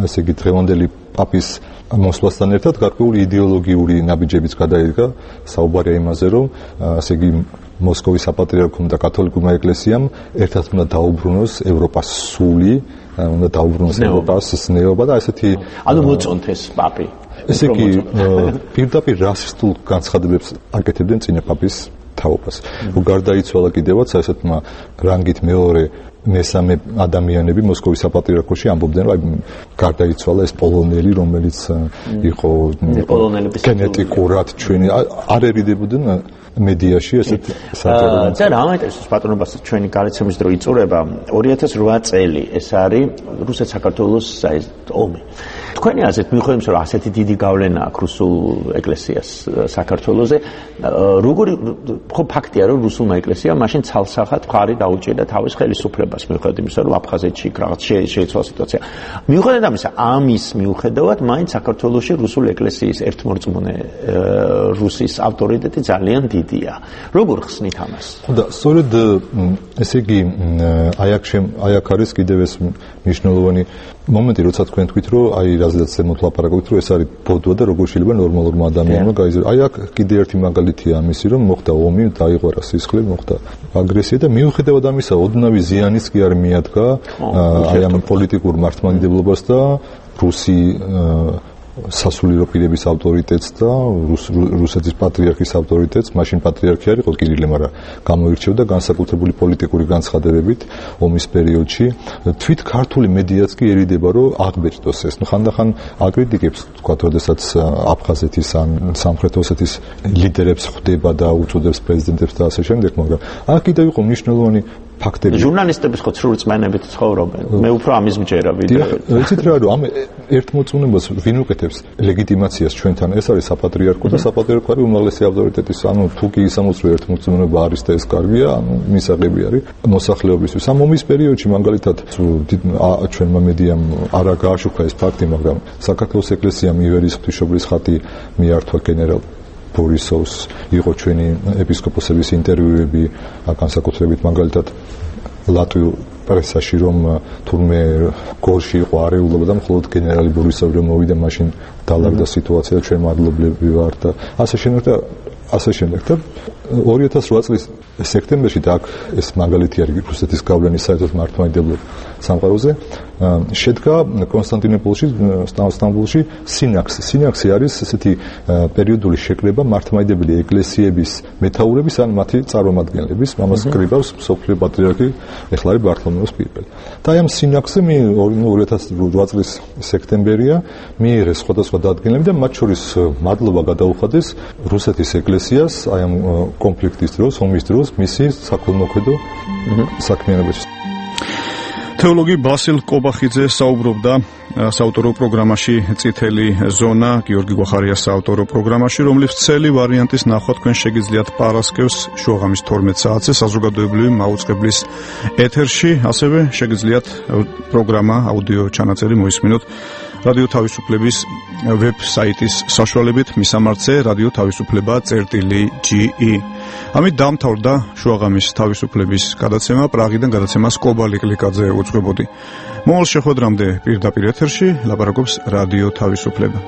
ესე იგი დღევანდელი პაპის მოსვლასთან ერთად გარკვეული იდეოლოგიური ნაბიჯებიც გადაიდგა საუბარია იმაზე, რომ ესე იგი მოსკოვის საპატრიარქომ და კათოლიკურმა ეკლესიამ ერთად უნდა დაუბრუნოს ევროპას სული, უნდა დაუბრუნოს ევროპას ზნეობა და ესეთი ანუ მოწონთ ეს პაპი. ესე იგი პირდაპირ რასისტულ განცხადებებს აკეთებდნენ წინა პაპის თაობას. რომ გარდაიცვალა კიდევაც ესეთმა რანგით მეორე მესამე ადამიანები მოსკოვის საპატრიარქოში ამბობდნენ რომ გარდაიცვალა ეს პოლონელი რომელიც იყო გენეტიკურად ჩვენი არ ერიდებოდნენ მედიაში ესეთ საჯარო. წერა ამაინტერესებს პატრონობას ჩვენი გარიცემის დრო იწურება 2008 წელი ეს არის რუსეთ-საქართველოს ომი. თქვენი აზრით მიუხედავად რომ ასეთი დიდი გავლენა აქვს რუსულ ეკლესიას საქართველოზე როგორი ხო ფაქტია რომ რუსულმა ეკლესიამ მაშინ ცალსახად მხარი დაუჭირდა თავის ხელისუფლებას მიუხედავად იმისა რომ აფხაზეთში რაღაც შეიცვალა სიტუაცია. მიუხედავად ამისა ამის მიუხედავად მაინც საქართველოში რუსულ ეკლესიის ერთმორწმუნე რუსის ავტორიტეტი ძალიან დიდია. როგორ ხსნით ამას? და სწორედ ესე იგი აი აქ არის კიდევ ეს მნიშვნელოვანი მომენტი, როცა თქვენ თქვით, რომ აი რაზეც ზემოთ ლაპარაკობთ, რომ ეს არის ბოდვა და როგორ შეიძლება ნორმალურმა ადამიანმა გაიზარდოს. აი აქ კიდე ერთი მაგალითია ამისი, რომ მოხდა ომი, დაიღვარა სისხლი, მოხდა აგრესია და მიუხედავად ამისა, ოდნავი ზიანიც კი არ მიადგა აი ამ პოლიტიკურ მართლმადიდებლობას და რუსი სასულიერო პირების ავტორიტეტს და რუსეთის პატრიარქის ავტორიტეტს, მაშინ პატრიარქი არ იყო კირილე, მაგრამ გამოირჩეოდა განსაკუთრებული პოლიტიკური განცხადებებით ომის პერიოდში. თვით ქართული მედიაც კი ერიდება, რომ აღბეჭდოს ეს. ხანდახან აკრიტიკებს, თქვა, როდესაც აფხაზეთის ან სამხრეთ ოსეთის ლიდერებს ხვდება და უწოდებს პრეზიდენტებს და ასე შემდეგ, მაგრამ აქ კიდევ იყო მნიშვნელოვანი ფაქტები. ჟურნალისტები ხო ცრუ რწმენებით ცხოვრობენ. მე უფრო ამის მჯერა ვიდრე. ვიცით რა, რომ ამ ერთმოწმუნებას ვინ უკეთებს ლეგიტიმაციას ჩვენთან? ეს არის საპატრიარქო და საპატრიარქო არის უმაღლესი ავტორიტეტის. ანუ თუ კი ისამოწრო ერთმოწმუნება არის და ეს კარგია, ანუ მისაღები არის მოსახლეობისთვის. ამ ომის პერიოდში მაგალითად ჩვენმა მედიამ არა გააშუქა ეს ფაქტი, მაგრამ საქართველოს ეკლესიამ ივერიის ღვთისმშობლის ხატი მიართვა გენერალ ბორისოვს, იყო ჩვენი ეპისკოპოსების ინტერვიუები, განსაკუთრებით მაგალითად ლატვიურ პრესაში, რომ თურმე გორში იყო არეულობა და მხოლოდ გენერალი ბორისოვი რომ მოვიდა, მაშინ დალაგდა სიტუაცია და ჩვენ მადლობლები ვართ და ასე შემდეგ და 2008 წლის სექტემბერში და აქ ეს მაგალითი არის რუსეთის გავლენის საერთოდ მართლმადიდებლურ სამყაროზე შედგა კონსტანტინოპოლში, სტამბოლში სინაქსი არის ესეთი პერიოდული შეკრება მართლმადიდებელი ეკლესიების მეთაურების ან მათი წარმომადგენლების, ამას კრიბავს მსოფლიო პატრიარქი ეხლა არის ბართლომეოს პირველი. და აი ამ სინაქსზე 2008 წლის სექტემბერია მიიღეს სხვადასხვა დადგენილები და მათ შორის მადლობა გადაუხადეს რუსეთის ეკლესიას აი ამ კონფლიქტის დროს, ომის დროს მისი საქველმოქმედო საქმიანობაში. თეოლოგი ბასილ კობახიძე საუბრობდა საავტორო პროგრამაში წითელი ზონა გიორგი გვახარიას საავტორო პროგრამაში, რომლის ცელი ვარიანტის ნახვა თქვენ შეგიძლიათ პარასკევს შუაღამის 12 საათზე საზოგადოებრივი მაუწყებლის ეთერში, ასევე შეგიძლიათ პროგრამა აუდიო ჩანაწერი მოისმინოთ რადიო თავისუფლების ვებსაიტის საშუალებით, მისამართზე რადიო თავისუფლება.ge. ამით დამთავრდა შუაღამის თავისუფლების გადაცემა. პრაღიდან გადაცემას კობალი კლიკაძე უძღვებოდი. მომავალ შეხვედრამდე პირდაპირ ეთერში ლაპარაკობს რადიო თავისუფლება.